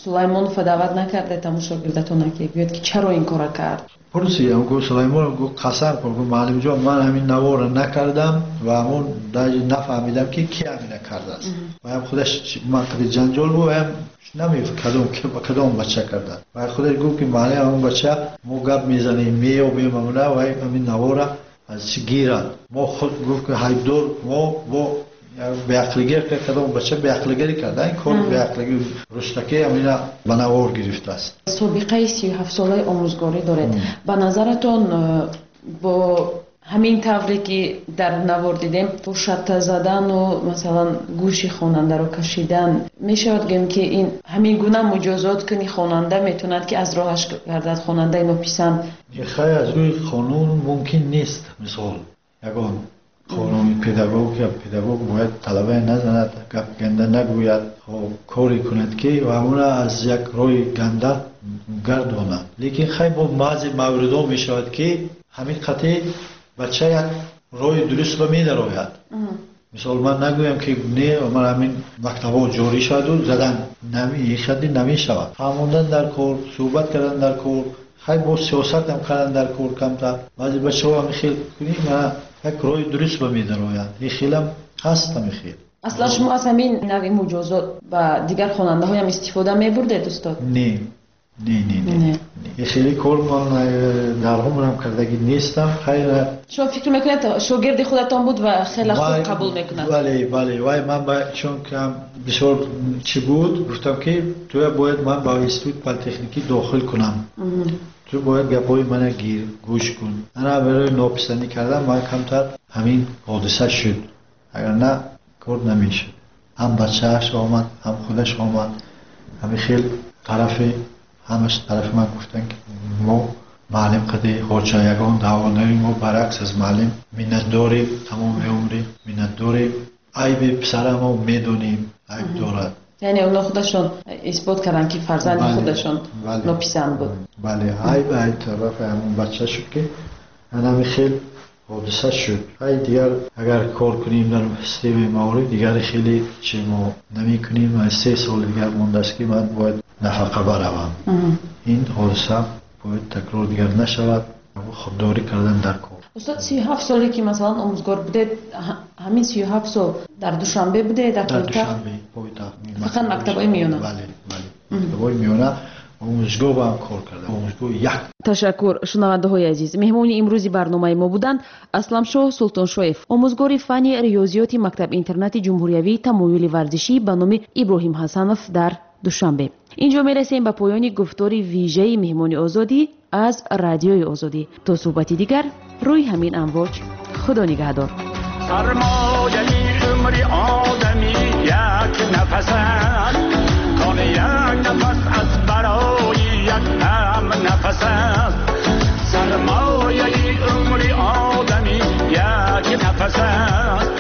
Сулаймонова даъват накардед ҳамон шогирдатона ки гӯяд ки чаро ин кора кард? Пурсидам, гуфт Сулаймонов, гуфт қасам хӯр, гуфт муаллимҷон ман ҳамин наворро накардам ва ҳамон даже нафаҳмидам ки ки ҳамина кардааст. Ва ҳам худаш ман қади ҷанҷол буд, ва ҳам намегуфт кадом кадом бача кардааст. Ва худаш гуфт ки муаллим ҳамон бача мо гап мезанем, меёбем ҳамона ва ҳамин наворро аз чӣ гирад. Мо худ гуфт ки ҳайбдор мо бо беақлигарӣ кард, кадом бача беақлигарӣ кард, ин кор беақлигарӣ рустаки ҳамина ба навор гирифтааст. Собиқаи сию ҳафтсолаи омӯзгорӣ доред. Ба назаратон бо ҳамин тавре ки дар навор дидем, бо шатта задану масалан гӯши хонандаро кашидан, мешавад гӯем ки ин ҳамин гуна муҷозот кунӣ хонанда метавонад ки аз роҳаш гардад хонандаи нописанд? Хай аз рӯи қонун мумкин нест. Мисол ягон қонуни педагог ё педагог бояд талабае назанад, гап ганда нагӯяд, коре кунад ки ҳамона аз як роҳи ганда гардонад. Лекин хай бо баъзе мавридҳо мешавад ки ҳамин қатъи бача як роҳи дурустро медарояд. Мисол ман нагӯям ки не, ман ҳамин мактабҳо ҷорӣ шаваду задан хадди намешавад. Фаҳмондан дар кор, суҳбат кардан дар кор, хай бо сиёсатам кардан дар кор камтар. Баъзе бачаҳо ҳамин хел кунӣ, мана як роҳи дурустро медароянд. Ин хелам ҳаст ҳамин хел. Аслан шумо аз ҳамин навъи муҷозот ба дигар хонандаҳоям истифода мебурдед, устод? Не, не, не, не. Ин хеле кор ман дар умрам кардагӣ нестам. Хайр, шумо фикр мекунед шогирди худатон буд ва хеле хуб қабул мекунад? Бале, бале. Вай ман ба чун кам бисёр чӣ буд, гуфтам ки туя бояд ман ба институт политехникӣ дохил кунам. Ту бояд гапҳои мана гир, гӯш кун. Ана барои нописандӣ кардан ман камтар ҳамин ҳодиса шуд. Агар на, кор намешуд. Ҳам бачааш омад, ҳам худаш омад. ҳамин хел тарафи ҳамаш тарафи ман гуфтанд ки мо муаллим қади ҳоҷа ягон даъво надорем, мо баръакс аз муаллим миннатдорем, тамоми умри миннатдорем. Айби писарамо медонем, айб дорад. Яъне онҳо худашон исбот карданд ки фарзанди худашон нописанд буд. Бале, айб айб тарафи ҳамон бача шуд ки ҳамин хел ҳодиса шуд. Ай дигар агар кор кунем дар системаи маориф, дигар хеле чи мо намекунем. Се сол дигар мондааст ки ман бояд нафақа баравам. Ин ҳодиса бояд такрор дигар нашавад. Худдорӣ кардан дар кор. Устод, сию ҳафт соле ки масалан омӯзгор будед, ҳамин сию ҳафт сол дар Душанбе будед, дар пойтахт? Пойтахт. Фақат мактабҳои миёна? Бале, бале. Мактабҳои миёна, омӯзгоҳ ба ҳам кор кардам. Омӯзгоҳ як. Ташаккур, шунавандаҳои азиз. Меҳмони имрӯзи барномаи мо буданд Асламшоҳ Султоншоев, омӯзгори фанни риёзиёти мактаб-интернати ҷумҳуриявии тамоюли варзишӣ ба номи Иброҳим Ҳасанов дар Душанбе. Инҷо мерасем ба поёни гуфтори вижаи меҳмони озодӣ аз Радиои Озодӣ. То суҳбати дигар рӯи ҳамин амвоҷ. Худо нигаҳдор. Сармояи умри одамӣ як нафас аст, кон як нафас аз барои як ҳам нафас аст. Сармояи умри одамӣ як нафас аст,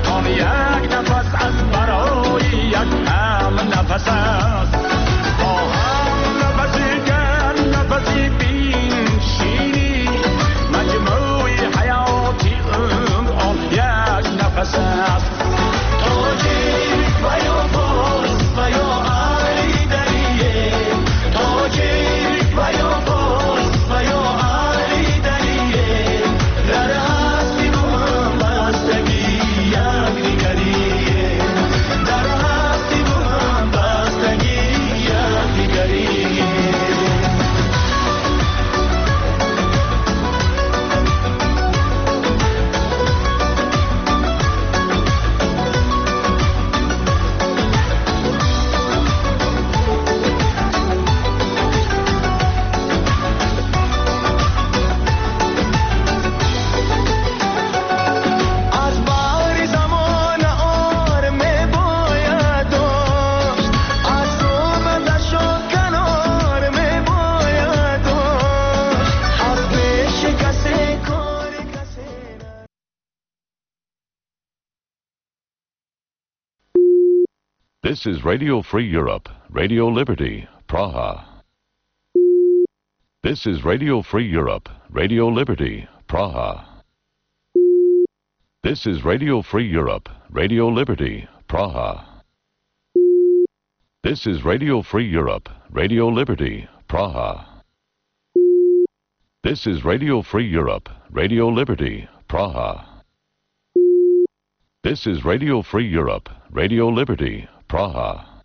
кон як нафас аз барои як ҳам нафас аст. Бо ҳам нафаси гарм нафаси биншинӣ, маҷмӯи ҳаёти умр он як нафас аст. Тоҷик ва ё форс ва ё айдарие, тоҷик ва ё форс ва ё айдарие, дар ҳастиву This is Radio Free Europe, Radio Liberty, Praha. This is Radio Free Europe, Radio Liberty, Praha. This is Radio Free Europe, Radio Liberty, Praha. This is Radio Free Europe, Radio Liberty, Praha. This is Radio Free Europe, Radio Liberty, Praha. This is Radio Free Europe, Radio Liberty, Praha.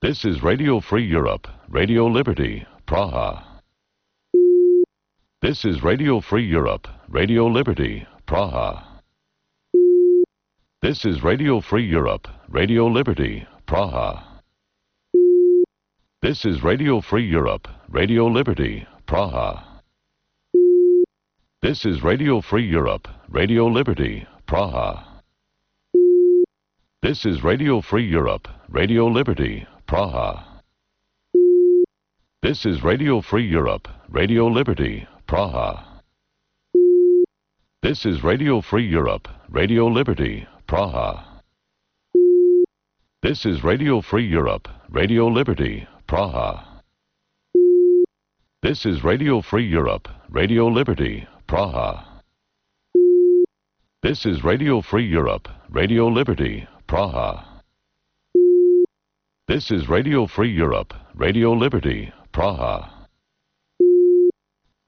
This is Radio Free Europe, Radio Liberty, Praha. This is Radio Free Europe, Radio Liberty, Praha. This is Radio Free Europe, Radio Liberty, Praha. This is Radio Free Europe, Radio Liberty, Praha. This is Radio Free Europe, Radio Liberty, Praha. This is Radio Free Europe, Radio Liberty, Praha. This is Radio Free Europe, Radio Liberty, Praha. This is Radio Free Europe, Radio Liberty, Praha. This is Radio Free Europe, Radio Liberty, Praha. This is Radio Free Europe, Radio Liberty, Praha. This is Radio Free Europe, Radio Liberty, Praha. This is Radio Free Europe, Radio Liberty, Praha.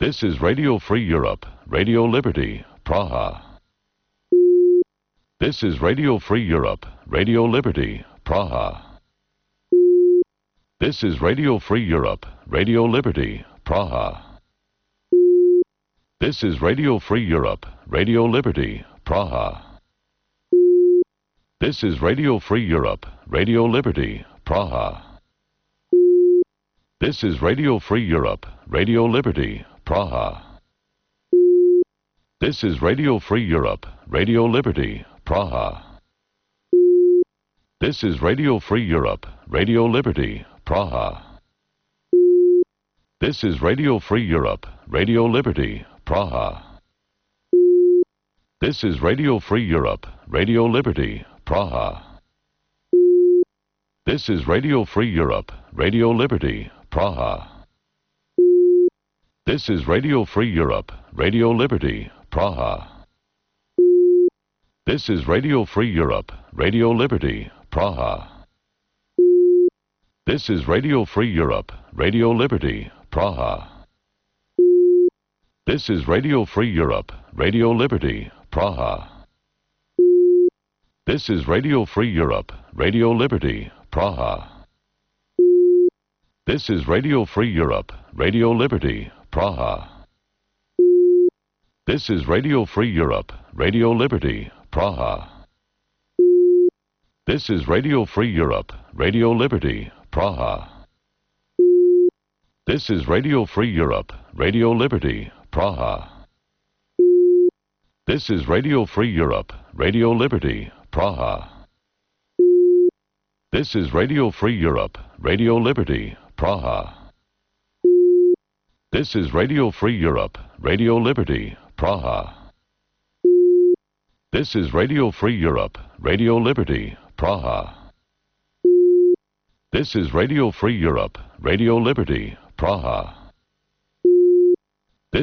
This is Radio Free Europe, Radio Liberty, Praha. This is Radio Free Europe, Radio Liberty, Praha. This is Radio Free Europe, Radio Liberty, Praha. This is Radio Free Europe, Radio Liberty, Praha. This is Radio Free Europe, Radio Liberty, Praha. This is Radio Free Europe, Radio Liberty, Praha. This is Radio Free Europe, Radio Liberty, Praha. This is Radio Free Europe, Radio Liberty, Praha. This is Radio Free Europe, Radio Liberty, Praha. This is Radio Free Europe, Radio Liberty, Praha. This is Radio Free Europe, Radio Liberty, Praha. This is Radio Free Europe, Radio Liberty, Praha. This is Radio Free Europe, Radio Liberty, Praha. This is Radio Free Europe, Radio Liberty, Praha. This is Radio Free Europe, Radio Liberty, Praha. This is Radio Free Europe, Radio Liberty, Praha. This is Radio Free Europe, Radio Liberty, Praha. This is Radio Free Europe, Radio Liberty, Praha. This is Radio Free Europe, Radio Liberty, Praha. This is Radio Free Europe, Radio Liberty, Praha. This is Radio Free Europe, Radio Liberty, Praha. This is Radio Free Europe, Radio Liberty, Praha. This is Radio Free Europe, Radio Liberty, Praha. This is Radio Free Europe, Radio Liberty, Praha. This is Radio Free Europe, Radio Liberty, Praha.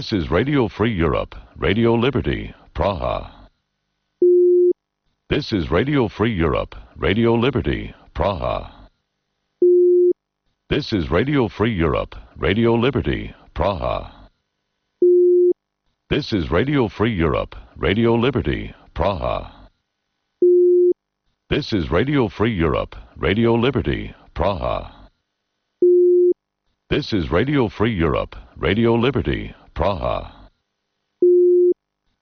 This is Radio Free Europe, Radio Liberty, Praha. This is Radio Free Europe, Radio Liberty, Praha. This is Radio Free Europe, Radio Liberty, Praha. This is Radio Free Europe, Radio Liberty, Praha. This is Radio Free Europe, Radio Liberty, Praha. This is Radio Free Europe, Radio Liberty, Praha.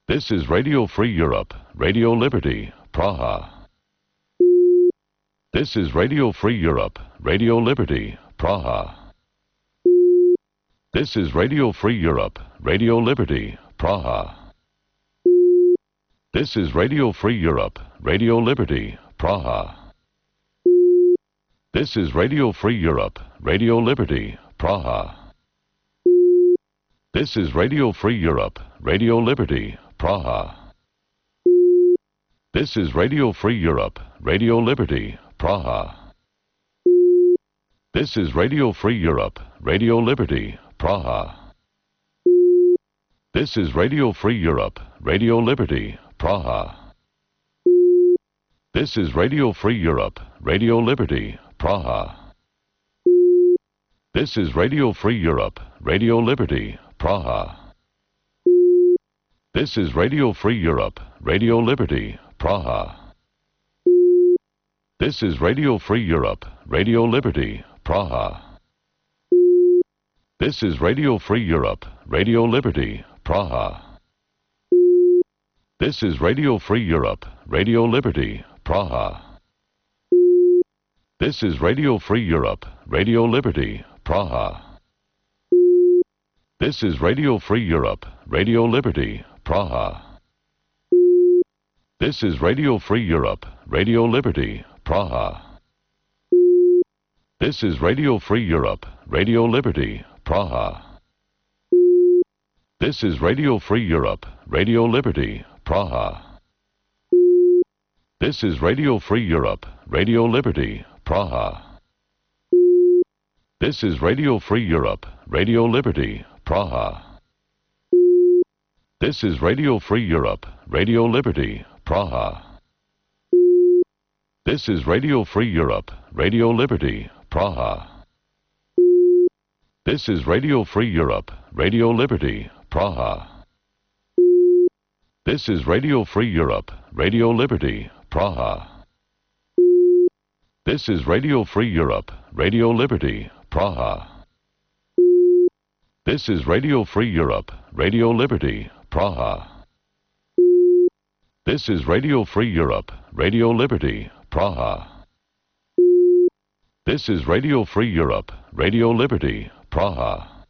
This is Radio Free Europe, Radio Liberty, Praha. This is Radio Free Europe, Radio Liberty, Praha. This is Radio Free Europe, Radio Liberty, Praha. This is Radio Free Europe, Radio Liberty, Praha. This is Radio Free Europe, Radio Liberty, Praha. This is Radio Free Europe, Radio Liberty, Praha. This is Radio Free Europe, Radio Liberty, Praha. This is Radio Free Europe, Radio Liberty, Praha. This is Radio Free Europe, Radio Liberty, Praha. This is Radio Free Europe, Radio Liberty, Praha. This is Radio Free Europe, Radio Liberty, Praha. This is Radio Free Europe, Radio Liberty, Praha. This is Radio Free Europe, Radio Liberty, Praha. This is Radio Free Europe, Radio Liberty, Praha. This is Radio Free Europe, Radio Liberty, Praha. This is Radio Free Europe, Radio Liberty, Praha. This is Radio Free Europe, Radio Liberty, Praha. This is Radio Free Europe, Radio Liberty, Praha. This is Radio Free Europe, Radio Liberty, Praha. This is Radio Free Europe, Radio Liberty, Praha. This is Radio Free Europe, Radio Liberty, Praha. This is Radio Free Europe, Radio Liberty, Praha. This is Radio Free Europe, Radio Liberty, Praha. This is Radio Free Europe, Radio Liberty, Praha. This is Radio Free Europe, Radio Liberty, Praha. This is Radio Free Europe, Radio Liberty, Praha. This is Radio Free Europe, Radio Liberty, Praha. This is Radio Free Europe, Radio Liberty, Praha. This is Radio Free Europe, Radio Liberty, Praha. This is Radio Free Europe, Radio Liberty, Praha.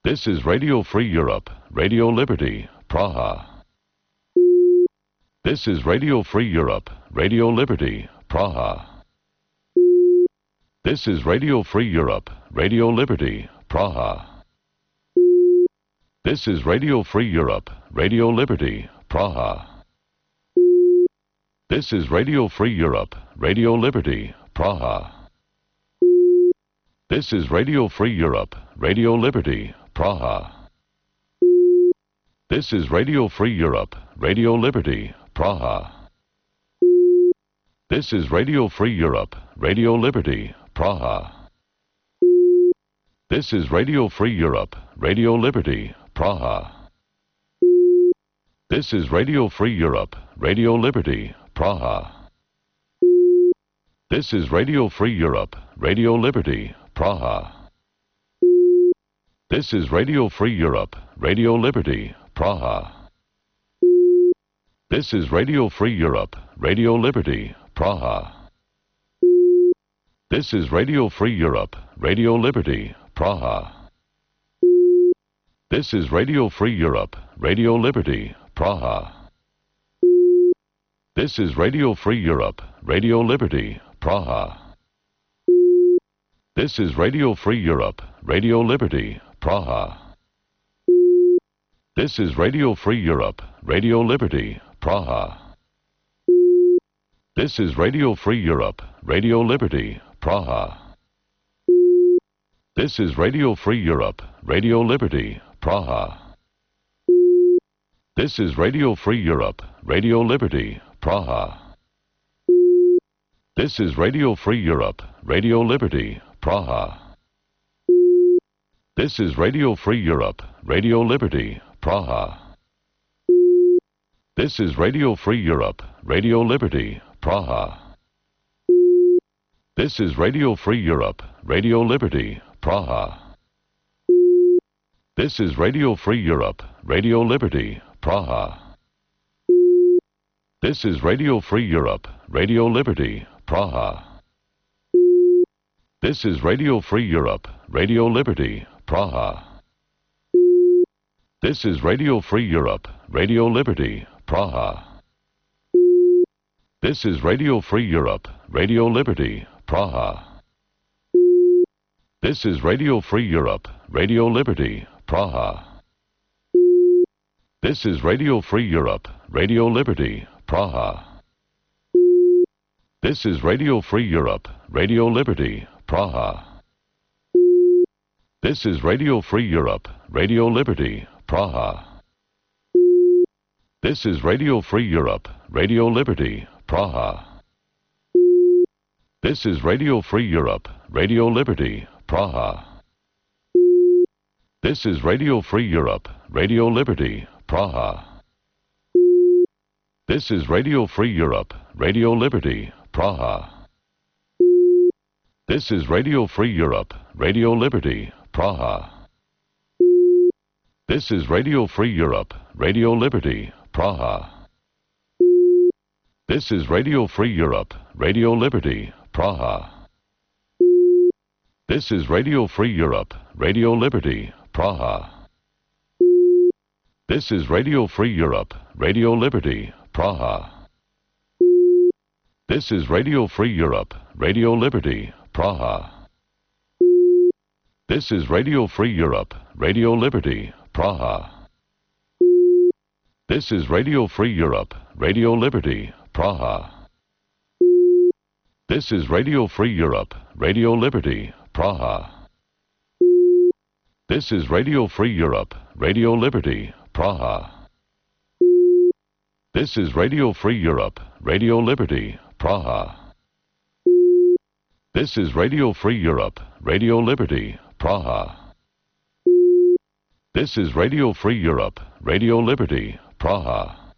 This is Radio Free Europe, Radio Liberty, Praha. This is Radio Free Europe, Radio Liberty, Praha. This is Radio Free Europe, Radio Liberty, Praha. This is Radio Free Europe, Radio Liberty, Praha. This is Radio Free Europe, Radio Liberty, Praha. This is Radio Free Europe, Radio Liberty, Praha. This is Radio Free Europe, Radio Liberty, Praha. This is Radio Free Europe, Radio Liberty, Praha. This is Radio Free Europe, Radio Liberty, Praha. This is Radio Free Europe, Radio Liberty, Praha. This is Radio Free Europe, Radio Liberty, Praha. This is Radio Free Europe, Radio Liberty, Praha. This is Radio Free Europe, Radio Liberty, Praha. This is Radio Free Europe, Radio Liberty, Praha. This is Radio Free Europe, Radio Liberty, Praha. This is Radio Free Europe, Radio Liberty, Praha. This is Radio Free Europe, Radio Liberty, Praha. This is Radio Free Europe, Radio Liberty, Praha. This is Radio Free Europe, Radio Liberty, Praha. This is Radio Free Europe, Radio Liberty, Praha. This is Radio Free Europe, Radio Liberty, Praha. This is Radio Free Europe, Radio Liberty, Praha. This is Radio Free Europe, Radio Liberty, Praha. This is Radio Free Europe, Radio Liberty, Praha. This is Radio Free Europe, Radio Liberty, Praha. This is Radio Free Europe, Radio Liberty, Praha. This is Radio Free Europe, Radio Liberty, Praha. This is Radio Free Europe, Radio Liberty, Praha. This is Radio Free Europe, Radio Liberty, Praha. This is Radio Free Europe, Radio Liberty, Praha. This is Radio Free Europe, Radio Liberty, Praha. This is Radio Free Europe, Radio Liberty, Praha. This is Radio Free Europe, Radio Liberty, Praha. This is Radio Free Europe, Radio Liberty, Praha. This is Radio Free Europe, Radio Liberty, Praha. This is Radio Free Europe, Radio Liberty, Praha. This is Radio Free Europe, Radio Liberty, Praha. This is Radio Free Europe, Radio Liberty, Praha. This is Radio Free Europe, Radio Liberty, Praha. This is Radio Free Europe, Radio Liberty, Praha. This is Radio Free Europe, Radio Liberty, Praha. This is Radio Free Europe, Radio Liberty, Praha. This is Radio Free Europe, Radio Liberty, Praha. This is Radio Free Europe, Radio Liberty, Praha. This is Radio Free Europe, Radio Liberty, Praha. This is Radio Free Europe, Radio Liberty, Praha. This is Radio Free Europe, Radio Liberty, Praha. This is Radio Free Europe, Radio Liberty, Praha. This is Radio Free Europe, Radio Liberty, Praha. This is Radio Free Europe, Radio Liberty, Praha. This is Radio Free Europe, Radio Liberty, Praha.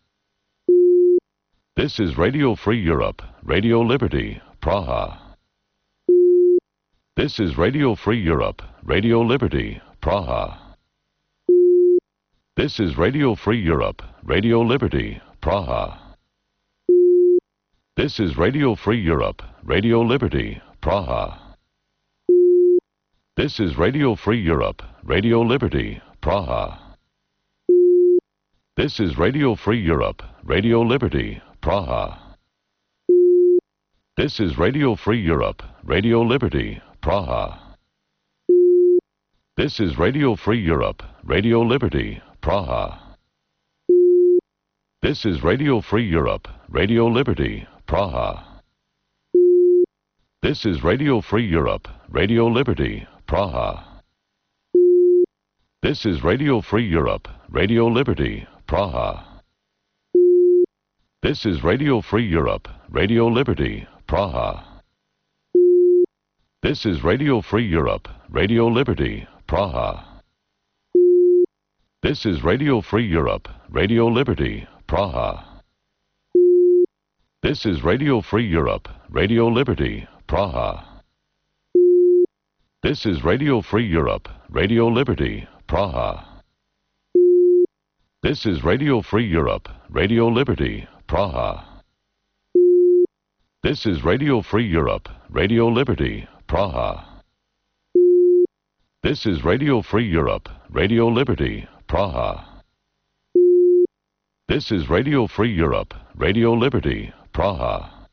This is Radio Free Europe, Radio Liberty, Praha. This is Radio Free Europe, Radio Liberty, Praha. This is Radio Free Europe, Radio Liberty, Praha. This is Radio Free Europe, Radio Liberty, Praha. This is Radio Free Europe, Radio Liberty, Praha. This is Radio Free Europe, Radio Liberty, Praha. This is Radio Free Europe, Radio Liberty, Praha. This is Radio Free Europe, Radio Liberty, Praha. This is Radio Free Europe, Radio Liberty, Praha. This is Radio Free Europe, Radio Liberty, Praha. This is Radio Free Europe, Radio Liberty, Praha. This is Radio Free Europe, Radio Liberty, Praha. This is Radio Free Europe, Radio Liberty, Praha. This is Radio Free Europe, Radio Liberty, Praha. This is Radio Free Europe, Radio Liberty, Praha. This is Radio Free Europe, Radio Liberty, Praha. This is Radio Free Europe, Radio Liberty, Praha. This is Radio Free Europe, Radio Liberty, Praha. This is Radio Free Europe, Radio Liberty, Praha. This is Radio Free Europe, Radio Liberty, Praha.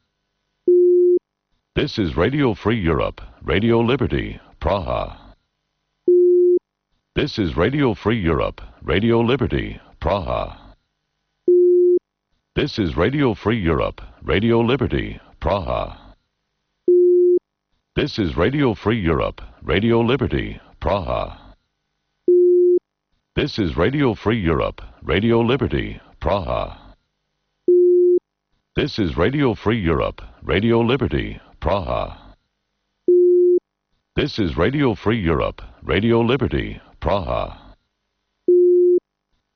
This is Radio Free Europe, Radio Liberty, Praha. This is Radio Free Europe, Radio Liberty, Praha. This is Radio Free Europe, Radio Liberty, Praha. This is Radio Free Europe, Radio Liberty, Praha. This is Radio Free Europe, Radio Liberty, Praha. This is Radio Free Europe, Radio Liberty, Praha. This is Radio Free Europe, Radio Liberty, Praha.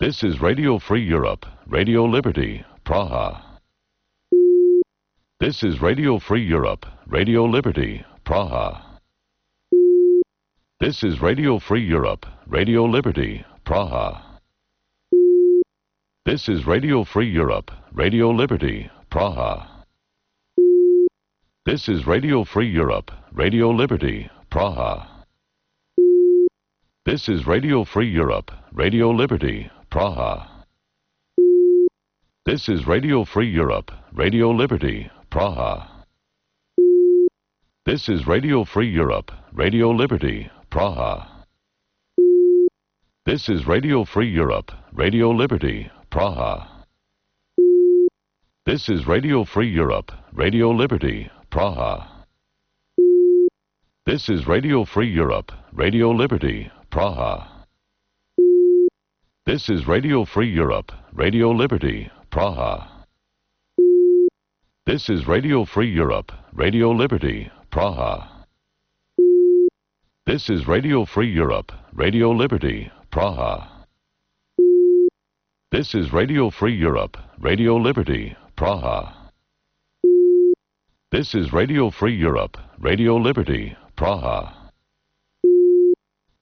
This is Radio Free Europe, Radio Liberty, Praha. This is Radio Free Europe, Radio Liberty, Praha. This is Radio Free Europe, Radio Liberty, Praha. This is Radio Free Europe, Radio Liberty, Praha. This is Radio Free Europe, Radio Liberty, Praha. This is Radio Free Europe, Radio Liberty, Praha. This is Radio Free Europe, Radio Liberty, Praha. This is Radio Free Europe, Radio Liberty, Praha. This is Radio Free Europe, Radio Liberty, Praha. This is Radio Free Europe, Radio Liberty, Praha. This is Radio Free Europe, Radio Liberty, Praha. This is Radio Free Europe, Radio Liberty, Praha. This is Radio Free Europe, Radio Liberty, Praha. This is Radio Free Europe, Radio Liberty, Praha. This is Radio Free Europe, Radio Liberty, Praha. This is Radio Free Europe, Radio Liberty, Praha.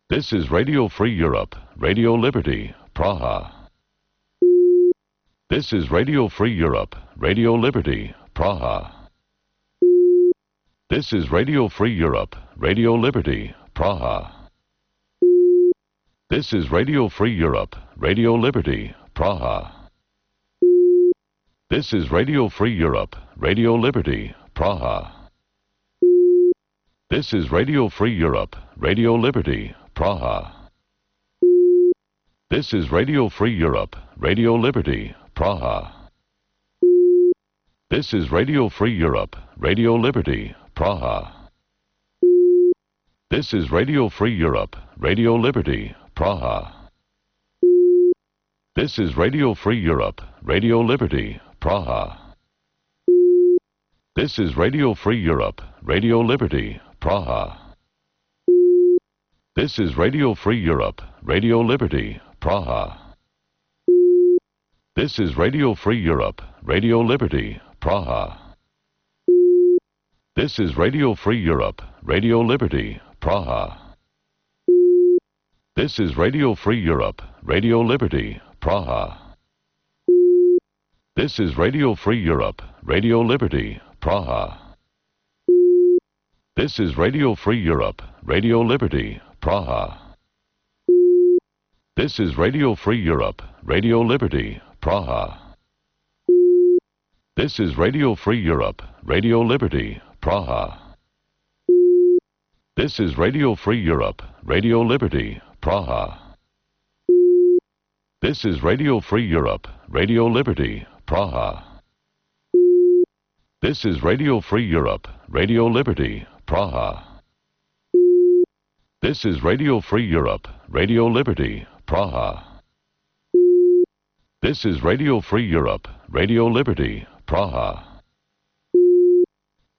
This is Radio Free Europe, Radio Liberty, Praha. This is Radio Free Europe, Radio Liberty, Praha. This is Radio Free Europe, Radio Liberty, Praha. This is Radio Free Europe, Radio Liberty, Praha. This is Radio Free Europe, Radio Liberty, Praha. This is Radio Free Europe, Radio Liberty, Praha. This is Radio Free Europe, Radio Liberty, Praha. This is Radio Free Europe, Radio Liberty, Praha. This is Radio Free Europe, Radio Liberty, Praha. This is Radio Free Europe, Radio Liberty, Praha. This is Radio Free Europe, Radio Liberty, Praha. This is Radio Free Europe, Radio Liberty, Praha. This is Radio Free Europe, Radio Liberty, Praha. This is Radio Free Europe, Radio Liberty, Praha. This is Radio Free Europe, Radio Liberty, Praha. This is Radio Free Europe, Radio Liberty, Praha. This is Radio Free Europe, Radio Liberty, Praha. This is Radio Free Europe, Radio Liberty, Praha. This is Radio Free Europe, Radio Liberty, Praha. This is Radio Free Europe, Radio Liberty, Praha. This is Radio Free Europe, Radio Liberty, Praha. This is Radio Free Europe, Radio Liberty, Praha. This is Radio Free Europe, Radio Liberty, Praha. This is Radio Free Europe, Radio Liberty, Praha.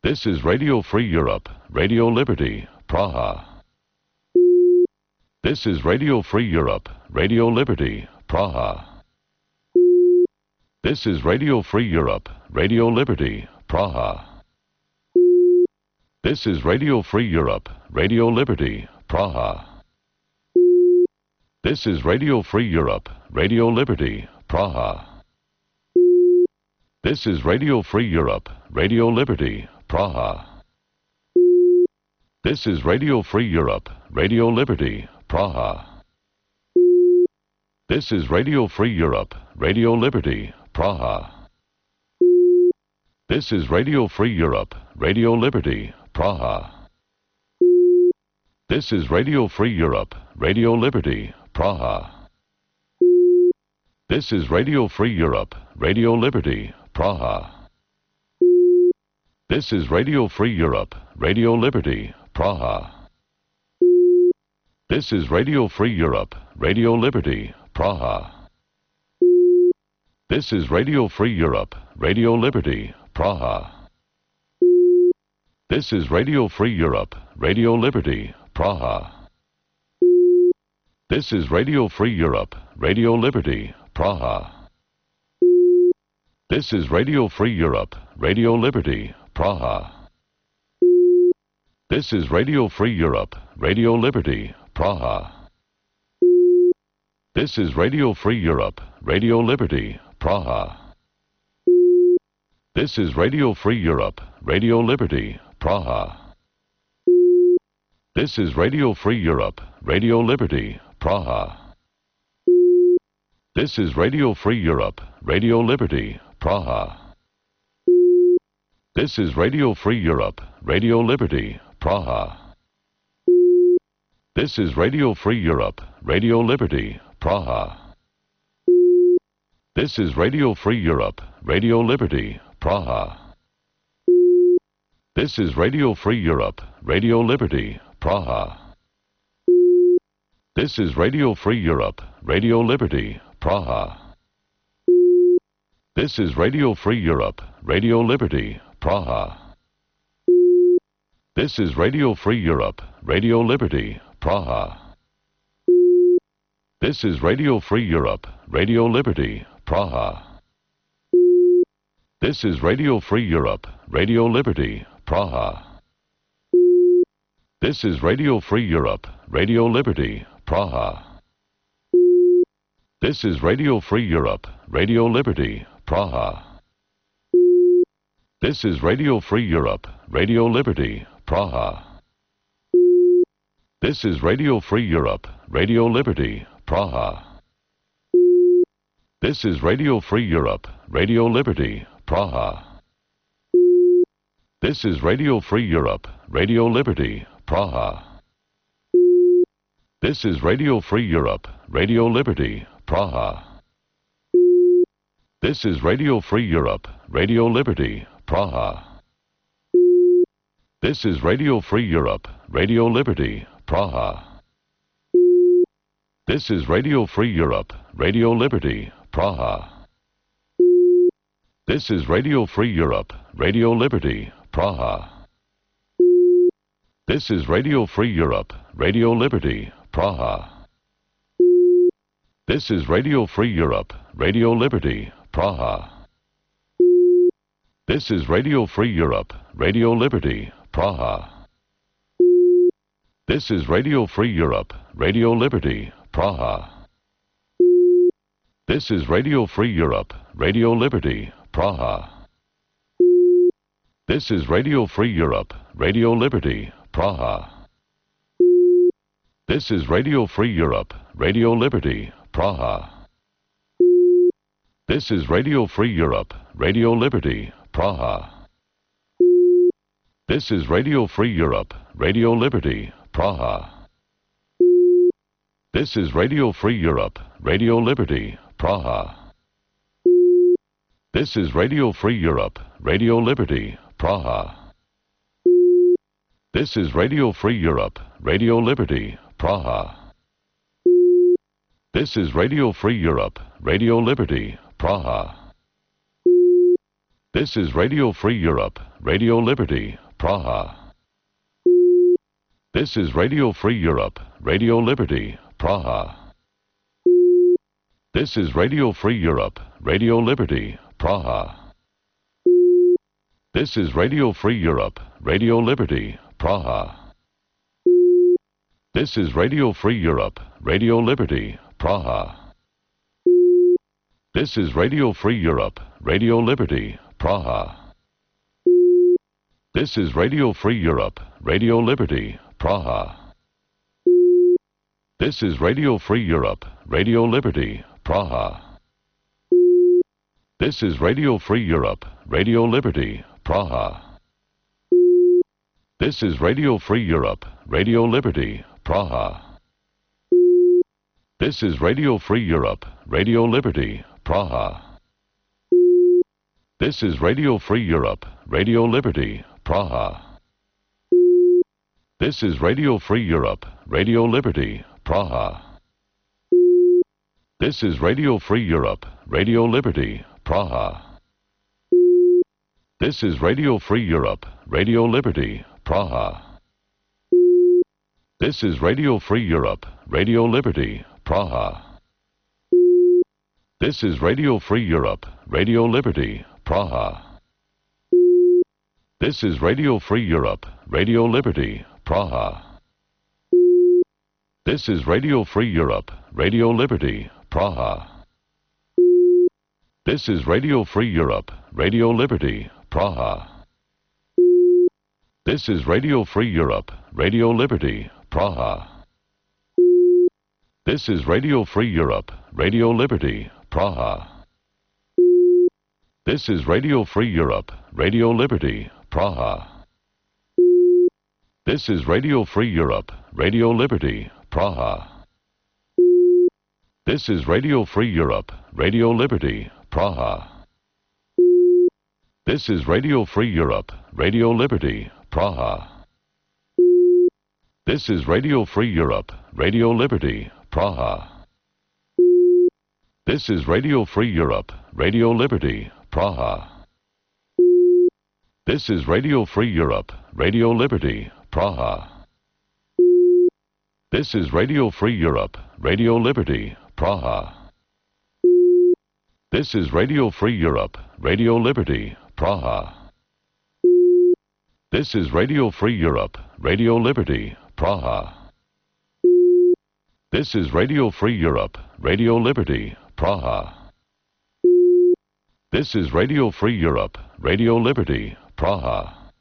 This is Radio Free Europe, Radio Liberty, Praha. This is Radio Free Europe, Radio Liberty, Praha. This is Radio Free Europe, Radio Liberty, Praha. This is Radio Free Europe, Radio Liberty, Praha. This is Radio Free Europe, Radio Liberty, Praha. This is Radio Free Europe, Radio Liberty, Praha. This is Radio Free Europe, Radio Liberty, Praha. This is Radio Free Europe, Radio Liberty, Praha. This is Radio Free Europe, Radio Liberty, Praha. This is Radio Free Europe, Radio Liberty, Praha. This is Radio Free Europe, Radio Liberty, Praha. This is Radio Free Europe, Radio Liberty, Praha. This is Radio Free Europe, Radio Liberty, Praha. This is Radio Free Europe, Radio Liberty, Praha. This is Radio Free Europe, Radio Liberty, Praha. This is Radio Free Europe, Radio Liberty, Praha. This is Radio Free Europe, Radio Liberty, Praha. This is Radio Free Europe, Radio Liberty, Praha. This is Radio Free Europe, Radio Liberty, Praha. This is Radio Free Europe, Radio Liberty, Praha. This is Radio Free Europe, Radio Liberty, Praha. This is Radio Free Europe, Radio Liberty, Praha. This is Radio Free Europe, Radio Liberty, Praha. This is Radio Free Europe, Radio Liberty, Praha. This is Radio Free Europe, Radio Liberty, Praha. This is Radio Free Europe, Radio Liberty, Praha. This is Radio Free Europe, Radio Liberty, Praha. This is Radio Free Europe, Radio Liberty, Praha. This is Radio Free Europe, Radio Liberty, Praha. This is Radio Free Europe, Radio Liberty, Praha. This is Radio Free Europe, Radio Liberty, Praha. This is Radio Free Europe, Radio Liberty, Praha. This is Radio Free Europe, Radio Liberty, Praha. This is Radio Free Europe, Radio Liberty, Praha. This is Radio Free Europe, Radio Liberty, Praha. This is Radio Free Europe, Radio Liberty, Praha. This is Radio Free Europe, Radio Liberty, Praha. This is Radio Free Europe, Radio Liberty, Praha. This is Radio Free Europe, Radio Liberty, Praha. This is Radio Free Europe, Radio Liberty, Praha. This is Radio Free Europe, Radio Liberty, Praha. This is Radio Free Europe, Radio Liberty, Praha. This is Radio Free Europe, Radio Liberty, Praha. This is Radio Free Europe, Radio Liberty, Praha. This is Radio Free Europe, Radio Liberty, Praha. This is Radio Free Europe, Radio Liberty, Praha. This is Radio Free Europe, Radio Liberty, Praha. This is Radio Free Europe, Radio Liberty, Praha. This is Radio Free Europe, Radio Liberty, Praha. This is Radio Free Europe, Radio Liberty, Praha. This is Radio Free Europe, Radio Liberty, Praha. This is Radio Free Europe, Radio Liberty, Praha. This is Radio Free Europe, Radio Liberty, Praha. This is Radio Free Europe, Radio Liberty, Praha. This is Radio Free Europe, Radio Liberty, Praha. This is Radio Free Europe, Radio Liberty, Praha. This is Radio Free Europe, Radio Liberty, Praha. This is Radio Free Europe, Radio Liberty, Praha. This is Radio Free Europe, Radio Liberty, Praha. This is Radio Free Europe, Radio Liberty, Praha. This is Radio Free Europe, Radio Liberty, Praha. This is Radio Free Europe, Radio Liberty, Praha. This is Radio Free Europe, Radio Liberty, Praha. This is Radio Free Europe, Radio Liberty, Praha. This is Radio Free Europe, Radio Liberty, Praha. This is Radio Free Europe, Radio Liberty, Praha. This is Radio Free Europe, Radio Liberty, Praha. This is Radio Free Europe, Radio Liberty, Praha. This is Radio Free Europe, Radio Liberty, Praha. This is Radio Free Europe, Radio Liberty, Praha. This is Radio Free Europe, Radio Liberty, Praha. This is Radio Free Europe, Radio Liberty, Praha. This is Radio Free Europe, Radio Liberty, Praha. This is Radio Free Europe, Radio Liberty, Praha. This is Radio Free Europe, Radio Liberty, Praha. This is Radio Free Europe, Radio Liberty, Praha. This is Radio Free Europe, Radio Liberty, Praha. This is Radio Free Europe, Radio Liberty, Praha. This is Radio Free Europe, Radio Liberty, Praha. This is Radio Free Europe, Radio Liberty, Praha. This is Radio Free Europe, Radio Liberty, Praha. This is Radio Free Europe, Radio Liberty, Praha. This is Radio Free Europe, Radio Liberty, Praha. This is Radio Free Europe, Radio Liberty, Praha. This is Radio Free Europe, Radio Liberty, Praha. This is Radio Free Europe, Radio Liberty, Praha. This is Radio Free Europe, Radio Liberty, Praha. This is Radio Free Europe, Radio Liberty, Praha. This is Radio Free Europe, Radio Liberty, Praha.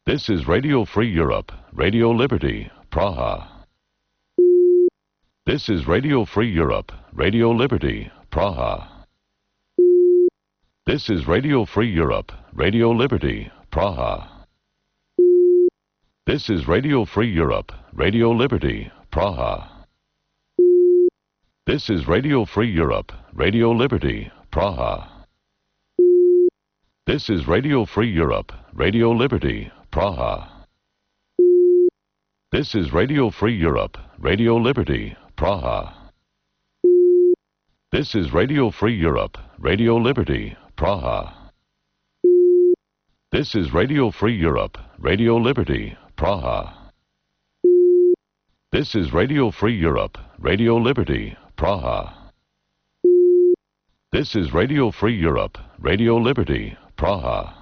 This is Radio Free Europe, Radio Liberty, Praha. This is Radio Free Europe, Radio Liberty, Praha. This is Radio Free Europe, Radio Liberty, Praha. This is Radio Free Europe, Radio Liberty, Praha. This is Radio Free Europe, Radio Liberty, Praha. This is Radio Free Europe, Radio Liberty, Praha. This is Radio Free Europe, Radio Liberty, Praha. This is Radio Free Europe, Radio Liberty, Praha. This is Radio Free Europe, Radio Liberty, Praha. This is Radio Free Europe, Radio Liberty, Praha. This is Radio Free Europe, Radio Liberty, Praha.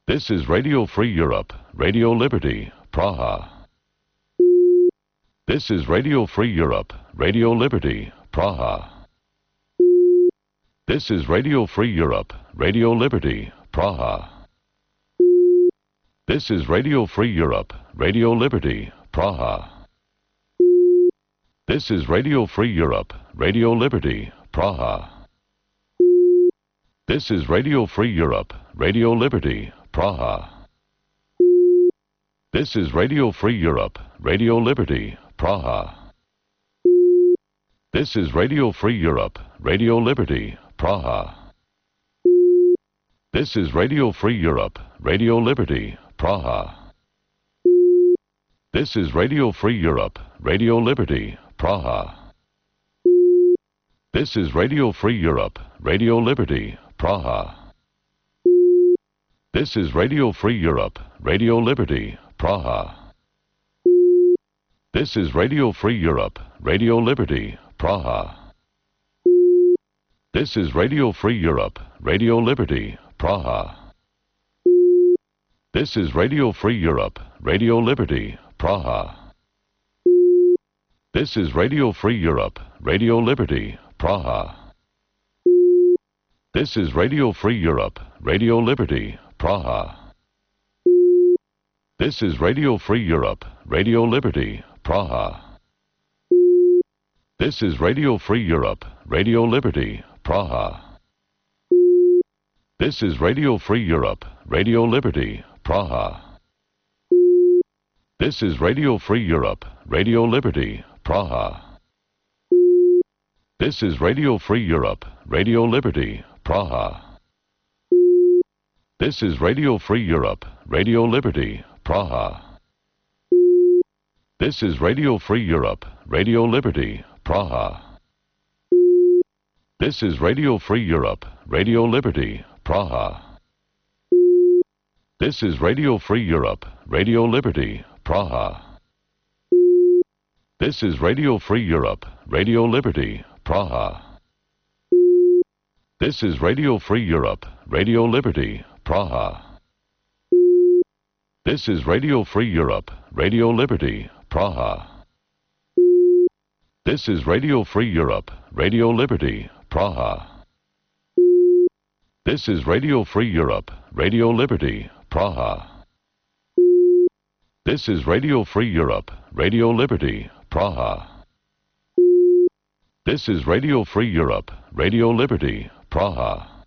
This is Radio Free Europe, Radio Liberty, Praha. This is Radio Free Europe, Radio Liberty, Praha. This is Radio Free Europe, Radio Liberty, Praha. This is Radio Free Europe, Radio Liberty, Praha. This is Radio Free Europe, Radio Liberty, Praha. This is Radio Free Europe, Radio Liberty, Praha. This is Radio Free Europe, Radio Liberty, Praha. This is Radio Free Europe, Radio Liberty, Praha. This is Radio Free Europe, Radio Liberty, Praha. This is Radio Free Europe, Radio Liberty, Praha. This is Radio Free Europe, Radio Liberty, Praha. This is Radio Free Europe, Radio Liberty, Praha. This is Radio Free Europe, Radio Liberty, Praha. This is Radio Free Europe, Radio Liberty, Praha. This is Radio Free Europe, Radio Liberty, Praha. This is Radio Free Europe, Radio Liberty, Praha. This is Radio Free Europe, Radio Liberty, Praha. This is Radio Free Europe, Radio Liberty, Praha. This is Radio Free Europe, Radio Liberty, Praha. This is Radio Free Europe, Radio Liberty, Praha. This is Radio Free Europe, Radio Liberty, Praha. This is Radio Free Europe, Radio Liberty, Praha. This is Radio Free Europe, Radio Liberty, Praha. This is Radio Free Europe, Radio Liberty, Praha. This is Radio Free Europe, Radio Liberty, Praha. This is Radio Free Europe, Radio Liberty, Praha. This is Radio Free Europe, Radio Liberty, Praha. This is Radio Free Europe, Radio Liberty, Praha. This is Radio Free Europe, Radio Liberty, Praha. This is Radio Free Europe, Radio Liberty, Praha. This is Radio Free Europe, Radio Liberty, Praha. This is Radio Free Europe, Radio Liberty, Praha. This is Radio Free Europe, Radio Liberty, Praha.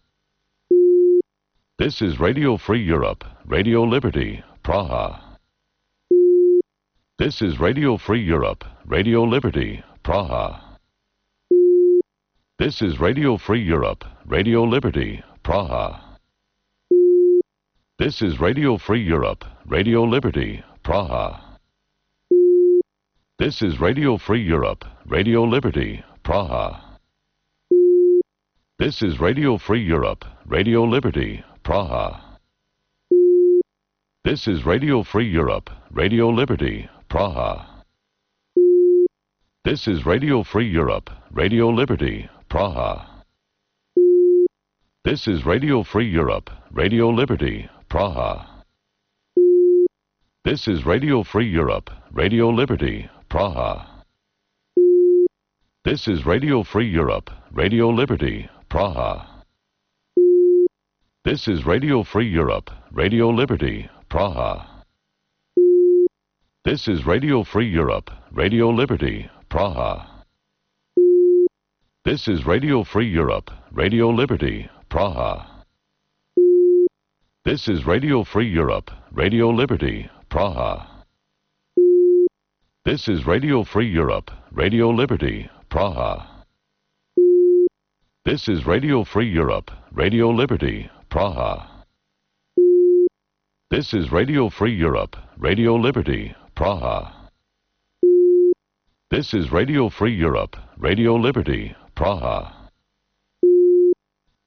This is Radio Free Europe, Radio Liberty, Praha. This is Radio Free Europe, Radio Liberty, Praha. This is Radio Free Europe, Radio Liberty, Praha. This is Radio Free Europe, Radio Liberty, Praha. This is Radio Free Europe, Radio Liberty, Praha. This is Radio Free Europe, Radio Liberty, Praha. This is Radio Free Europe, Radio Liberty, Praha. This is Radio Free Europe, Radio Liberty, Praha. This is Radio Free Europe, Radio Liberty, Praha. This is Radio Free Europe, Radio Liberty, Praha. This is Radio Free Europe, Radio Liberty, Praha. This is Radio Free Europe, Radio Liberty, Praha. This is Radio Free Europe, Radio Liberty, Praha. This is Radio Free Europe, Radio Liberty, Praha. This is Radio Free Europe, Radio Liberty, Praha. This is Radio Free Europe, Radio Liberty, Praha. This is Radio Free Europe, Radio Liberty, Praha. This is Radio Free Europe, Radio Liberty, Praha. This is Radio Free Europe, Radio Liberty, Praha.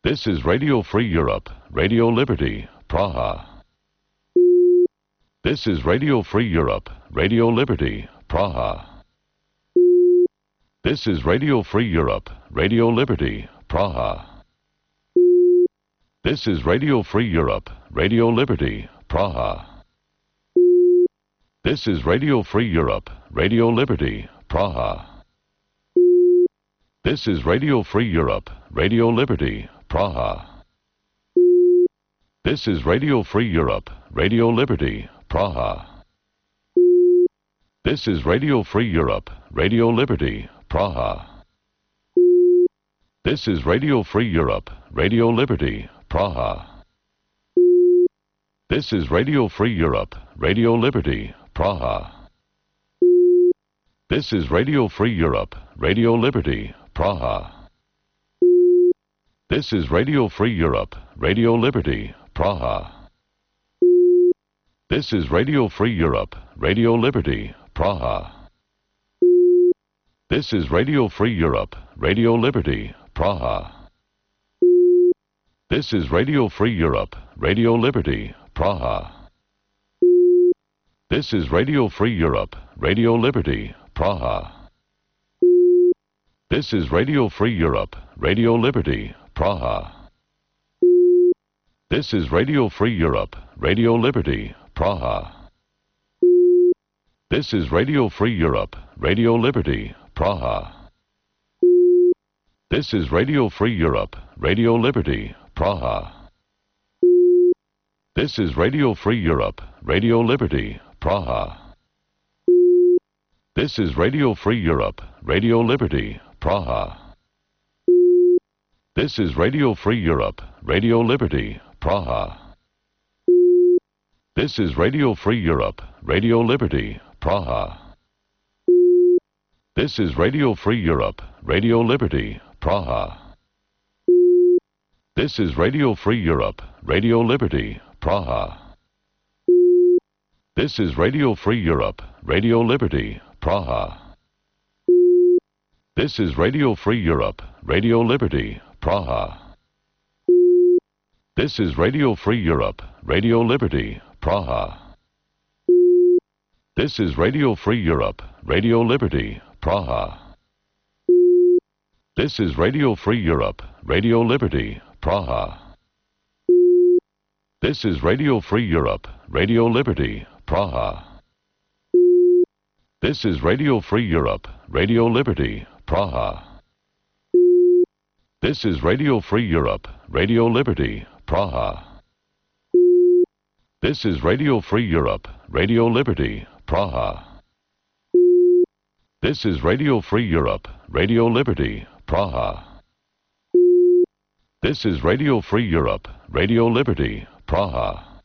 This is Radio Free Europe, Radio Liberty, Praha. This is Radio Free Europe, Radio Liberty, Praha. This is Radio Free Europe, Radio Liberty, Praha. This is Radio Free Europe, Radio Liberty, Praha. This is Radio Free Europe, Radio Liberty, Praha. This is Radio Free Europe, Radio Liberty, Praha. This is Radio Free Europe, Radio Liberty, Praha. This is Radio Free Europe, Radio Liberty, Praha. This is Radio Free Europe, Radio Liberty, Praha. This is Radio Free Europe, Radio Liberty, Praha. This is Radio Free Europe, Radio Liberty, Praha. This is Radio Free Europe, Radio Liberty, Praha. This is Radio Free Europe, Radio Liberty, Praha. This is Radio Free Europe, Radio Liberty, Praha. This is Radio Free Europe, Radio Liberty, Praha. This is Radio Free Europe, Radio Liberty, Praha. This is Radio Free Europe, Radio Liberty, Praha. This is Radio Free Europe, Radio Liberty, Praha. This is Radio Free Europe, Radio Liberty, Praha. This is Radio Free Europe, Radio Liberty, Praha. This is Radio Free Europe, Radio Liberty, Praha. This is Radio Free Europe, Radio Liberty, Praha. This is Radio Free Europe, Radio Liberty, Praha. This is Radio Free Europe, Radio Liberty, Praha. This is Radio Free Europe, Radio Liberty, Praha. This is Radio Free Europe, Radio Liberty, Praha. This is Radio Free Europe, Radio Liberty, Praha. This is Radio Free Europe, Radio Liberty, Praha. This is Radio Free Europe, Radio Liberty, Praha. This is Radio Free Europe, Radio Liberty, Praha. This is Radio Free Europe, Radio Liberty, Praha. This is Radio Free Europe, Radio Liberty, Praha. This is Radio Free Europe, Radio Liberty, Praha. This is Radio Free Europe, Radio Liberty, Praha. This is Radio Free Europe, Radio Liberty, Praha. This is Radio Free Europe, Radio Liberty, Praha. This is Radio Free Europe, Radio Liberty, Praha.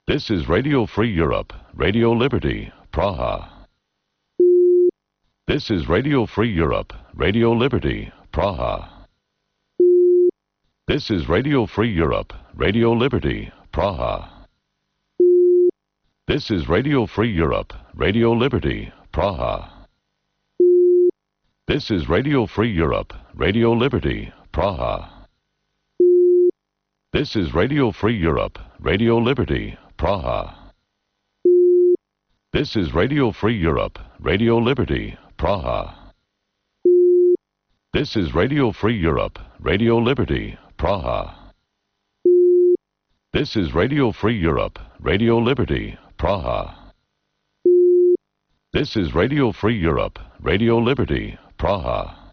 This is Radio Free Europe, Radio Liberty, Praha. This is Radio Free Europe, Radio Liberty, Praha. This is Radio Free Europe, Radio Liberty, Praha. This is Radio Free Europe, Radio Liberty, Praha. This is Radio Free Europe, Radio Liberty, Praha. This is Radio Free Europe, Radio Liberty, Praha. This is Radio Free Europe, Radio Liberty, Praha. This is Radio Free Europe, Radio Liberty, Praha. This is Radio Free Europe, Radio Liberty, Praha. This is Radio Free Europe, Radio Liberty, Praha.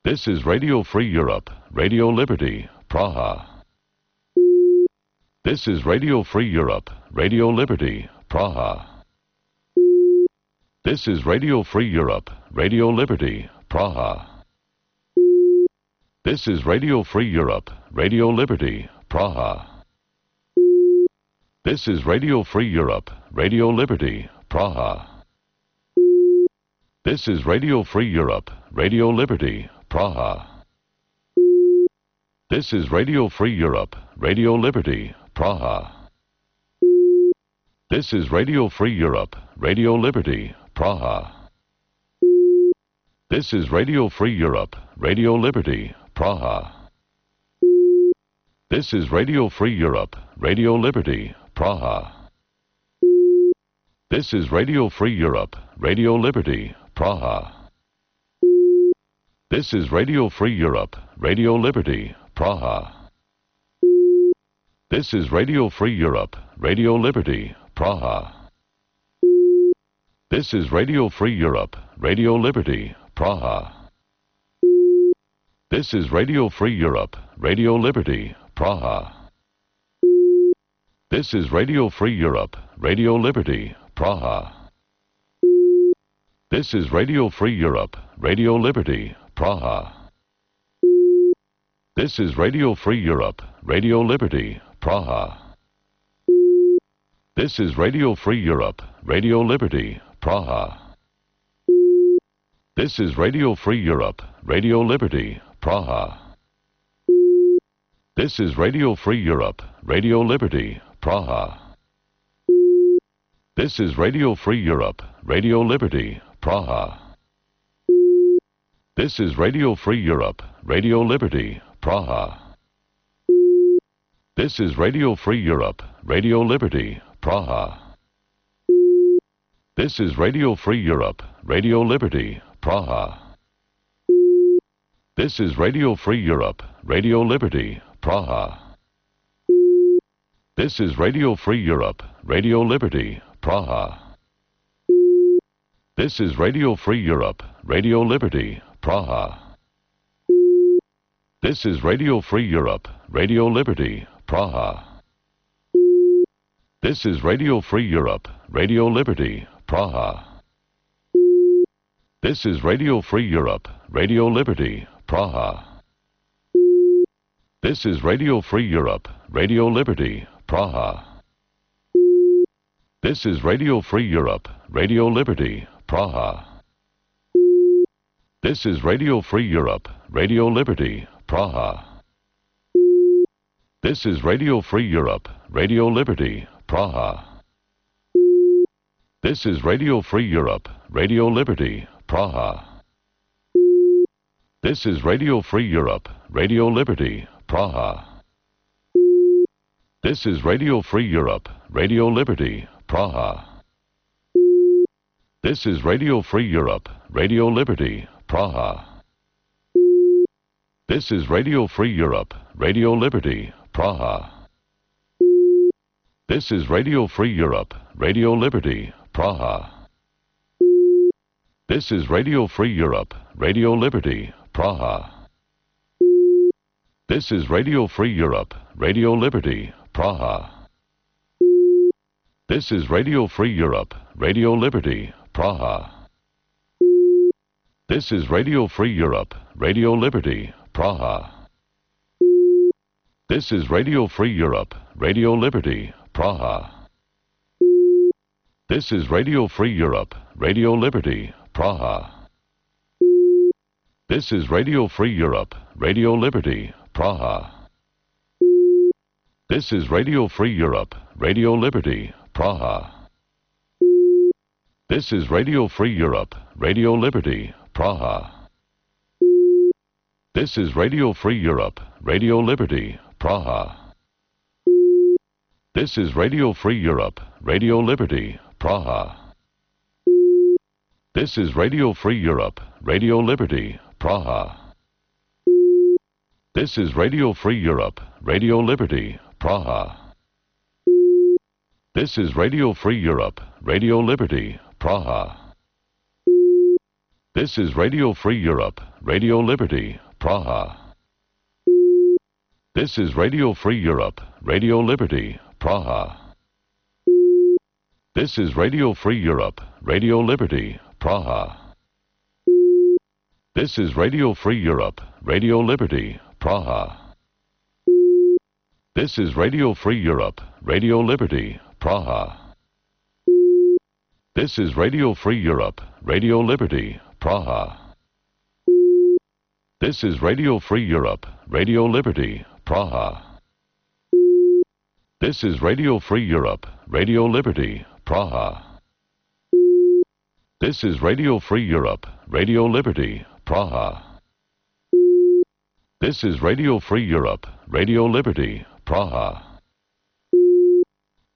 This is Radio Free Europe, Radio Liberty, Praha. This is Radio Free Europe, Radio Liberty, Praha. This is Radio Free Europe, Radio Liberty, Praha. This is Radio Free Europe, Radio Liberty, Praha. This is Radio Free Europe, Radio Liberty, Praha. This is Radio Free Europe, Radio Liberty, Praha. This is Radio Free Europe, Radio Liberty, Praha. This is Radio Free Europe, Radio Liberty, Praha. This is Radio Free Europe, Radio Liberty, Praha. This is Radio Free Europe, Radio Liberty, Praha. This is Radio Free Europe, Radio Liberty, Praha. This is Radio Free Europe, Radio Liberty, Praha. This is Radio Free Europe, Radio Liberty, Praha. This is Radio Free Europe, Radio Liberty, Praha. This is Radio Free Europe, Radio Liberty, Praha. This is Radio Free Europe, Radio Liberty, Praha. This is Radio Free Europe, Radio Liberty, Praha. This is Radio Free Europe, Radio Liberty, Praha. This is Radio Free Europe, Radio Liberty, Praha. This is Radio Free Europe, Radio Liberty, Praha. This is Radio Free Europe, Radio Liberty, Praha. This is Radio Free Europe, Radio Liberty, Praha. This is Radio Free Europe, Radio Liberty, Praha. This is Radio Free Europe, Radio Liberty, Praha. This is Radio Free Europe, Radio Liberty, Praha. This is Radio Free Europe, Radio Liberty, Praha. This is Radio Free Europe, Radio Liberty, Praha. This is Radio Free Europe, Radio Liberty, Praha. This is Radio Free Europe, Radio Liberty, Praha. This is Radio Free Europe, Radio Liberty, Praha. This is Radio Free Europe, Radio Liberty, Praha. This is Radio Free Europe, Radio Liberty, Praha. This is Radio Free Europe, Radio Liberty, Praha. This is Radio Free Europe, Radio Liberty, Praha. This is Radio Free Europe, Radio Liberty, Praha. This is Radio Free Europe, Radio Liberty, Praha. This is Radio Free Europe, Radio Liberty, Praha. This is Radio Free Europe, Radio Liberty, Praha. This is Radio Free Europe, Radio Liberty, Praha. This is Radio Free Europe, Radio Liberty, Praha. This is Radio Free Europe, Radio Liberty, Praha. This is Radio Free Europe, Radio Liberty, Praha. This is Radio Free Europe, Radio Liberty, Praha. This is Radio Free Europe, Radio Liberty, Praha. This is Radio Free Europe, Radio Liberty, Praha. This is Radio Free Europe, Radio Liberty, Praha. This is Radio Free Europe, Radio Liberty, Praha. This is Radio Free Europe, Radio Liberty, Praha. This is Radio Free Europe, Radio Liberty, Praha. This is Radio Free Europe, Radio Liberty, Praha. This is Radio Free Europe, Radio Liberty, Praha. This is Radio Free Europe, Radio Liberty, Praha. This is Radio Free Europe, Radio Liberty, Praha. This is Radio Free Europe, Radio Liberty, Praha. This is Radio Free Europe, Radio Liberty, Praha. This is Radio Free Europe, Radio Liberty, Praha. This is Radio Free Europe, Radio Liberty, Praha. This is Radio Free Europe, Radio Liberty, Praha. This is Radio Free Europe, Radio Liberty, Praha. This is Radio Free Europe, Radio Liberty, Praha. This is Radio Free Europe, Radio Liberty, Praha. This is Radio Free Europe, Radio Liberty, Praha. This is Radio Free Europe, Radio Liberty, Praha. This is Radio Free Europe, Radio Liberty, Praha. This is Radio Free Europe, Radio Liberty, Praha.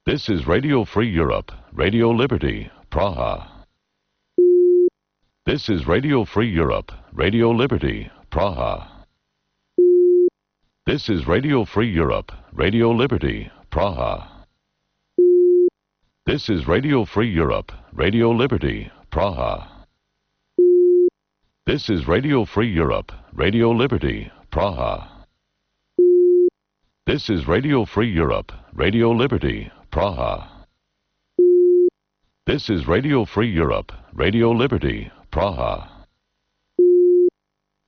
This is Radio Free Europe, Radio Liberty, Praha. This is Radio Free Europe, Radio Liberty, Praha. This is Radio Free Europe, Radio Liberty, Praha. This is Radio Free Europe, Radio Liberty, Praha. This is Radio Free Europe, Radio Liberty, Praha. This is Radio Free Europe, Radio Liberty, Praha. This is Radio Free Europe, Radio Liberty, Praha.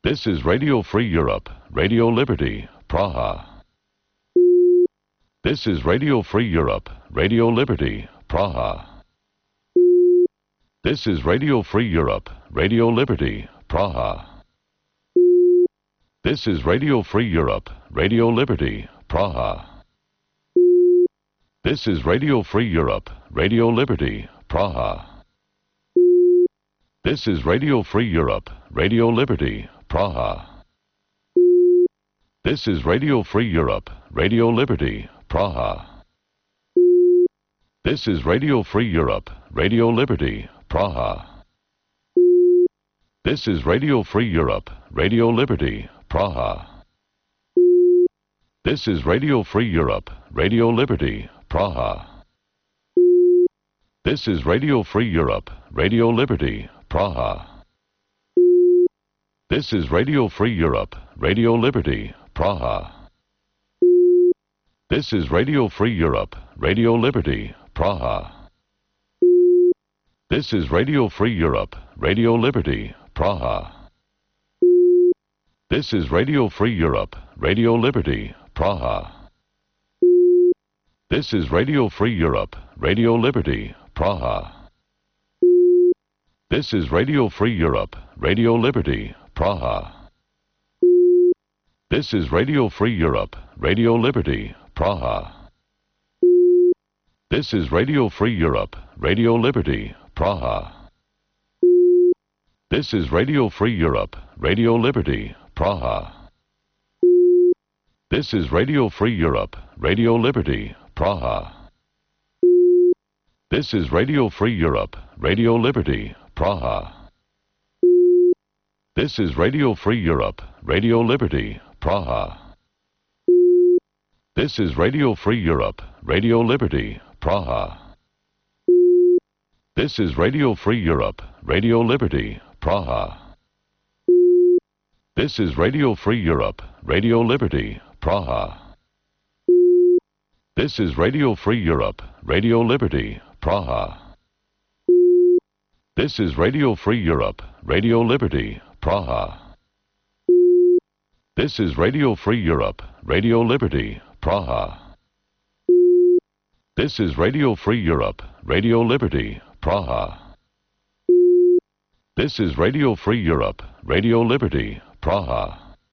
This is Radio Free Europe, Radio Liberty, Praha. This is Radio Free Europe, Radio Liberty, Praha. This is Radio Free Europe, Radio Liberty, Praha. This is Radio Free Europe, Radio Liberty, Praha. This is Radio Free Europe, Radio Liberty, Praha. This is Radio Free Europe, Radio Liberty, Praha. This is Radio Free Europe, Radio Liberty, Praha. This is Radio Free Europe, Radio Liberty, Praha. This is Radio Free Europe, Radio Liberty, Praha. This is Radio Free Europe, Radio Liberty, Praha. This is Radio Free Europe, Radio Liberty, Praha. This is Radio Free Europe, Radio Liberty, Praha. This is Radio Free Europe, Radio Liberty, Praha. This is Radio Free Europe, Radio Liberty, Praha. This is Radio Free Europe, Radio Liberty, Praha. This is Radio Free Europe, Radio Liberty, Praha. This is Radio Free Europe, Radio Liberty, Praha. This is Radio Free Europe, Radio Liberty, Praha. This is Radio Free Europe, Radio Liberty, Praha. This is Radio Free Europe, Radio Liberty, Praha. This is Radio Free Europe, Radio Liberty, Praha. This is Radio Free Europe, Radio Liberty, Praha. This is Radio Free Europe, Radio Liberty, Praha. This is Radio Free Europe, Radio Liberty, Praha. This is Radio Free Europe, Radio Liberty, Praha. This is Radio Free Europe, Radio Liberty, Praha. This is Radio Free Europe, Radio Liberty, Praha. This is Radio Free Europe, Radio Liberty, Praha. This is Radio Free Europe, Radio Liberty, Praha. This is Radio Free Europe, Radio Liberty, Praha. This is Radio Free Europe, Radio Liberty, Praha.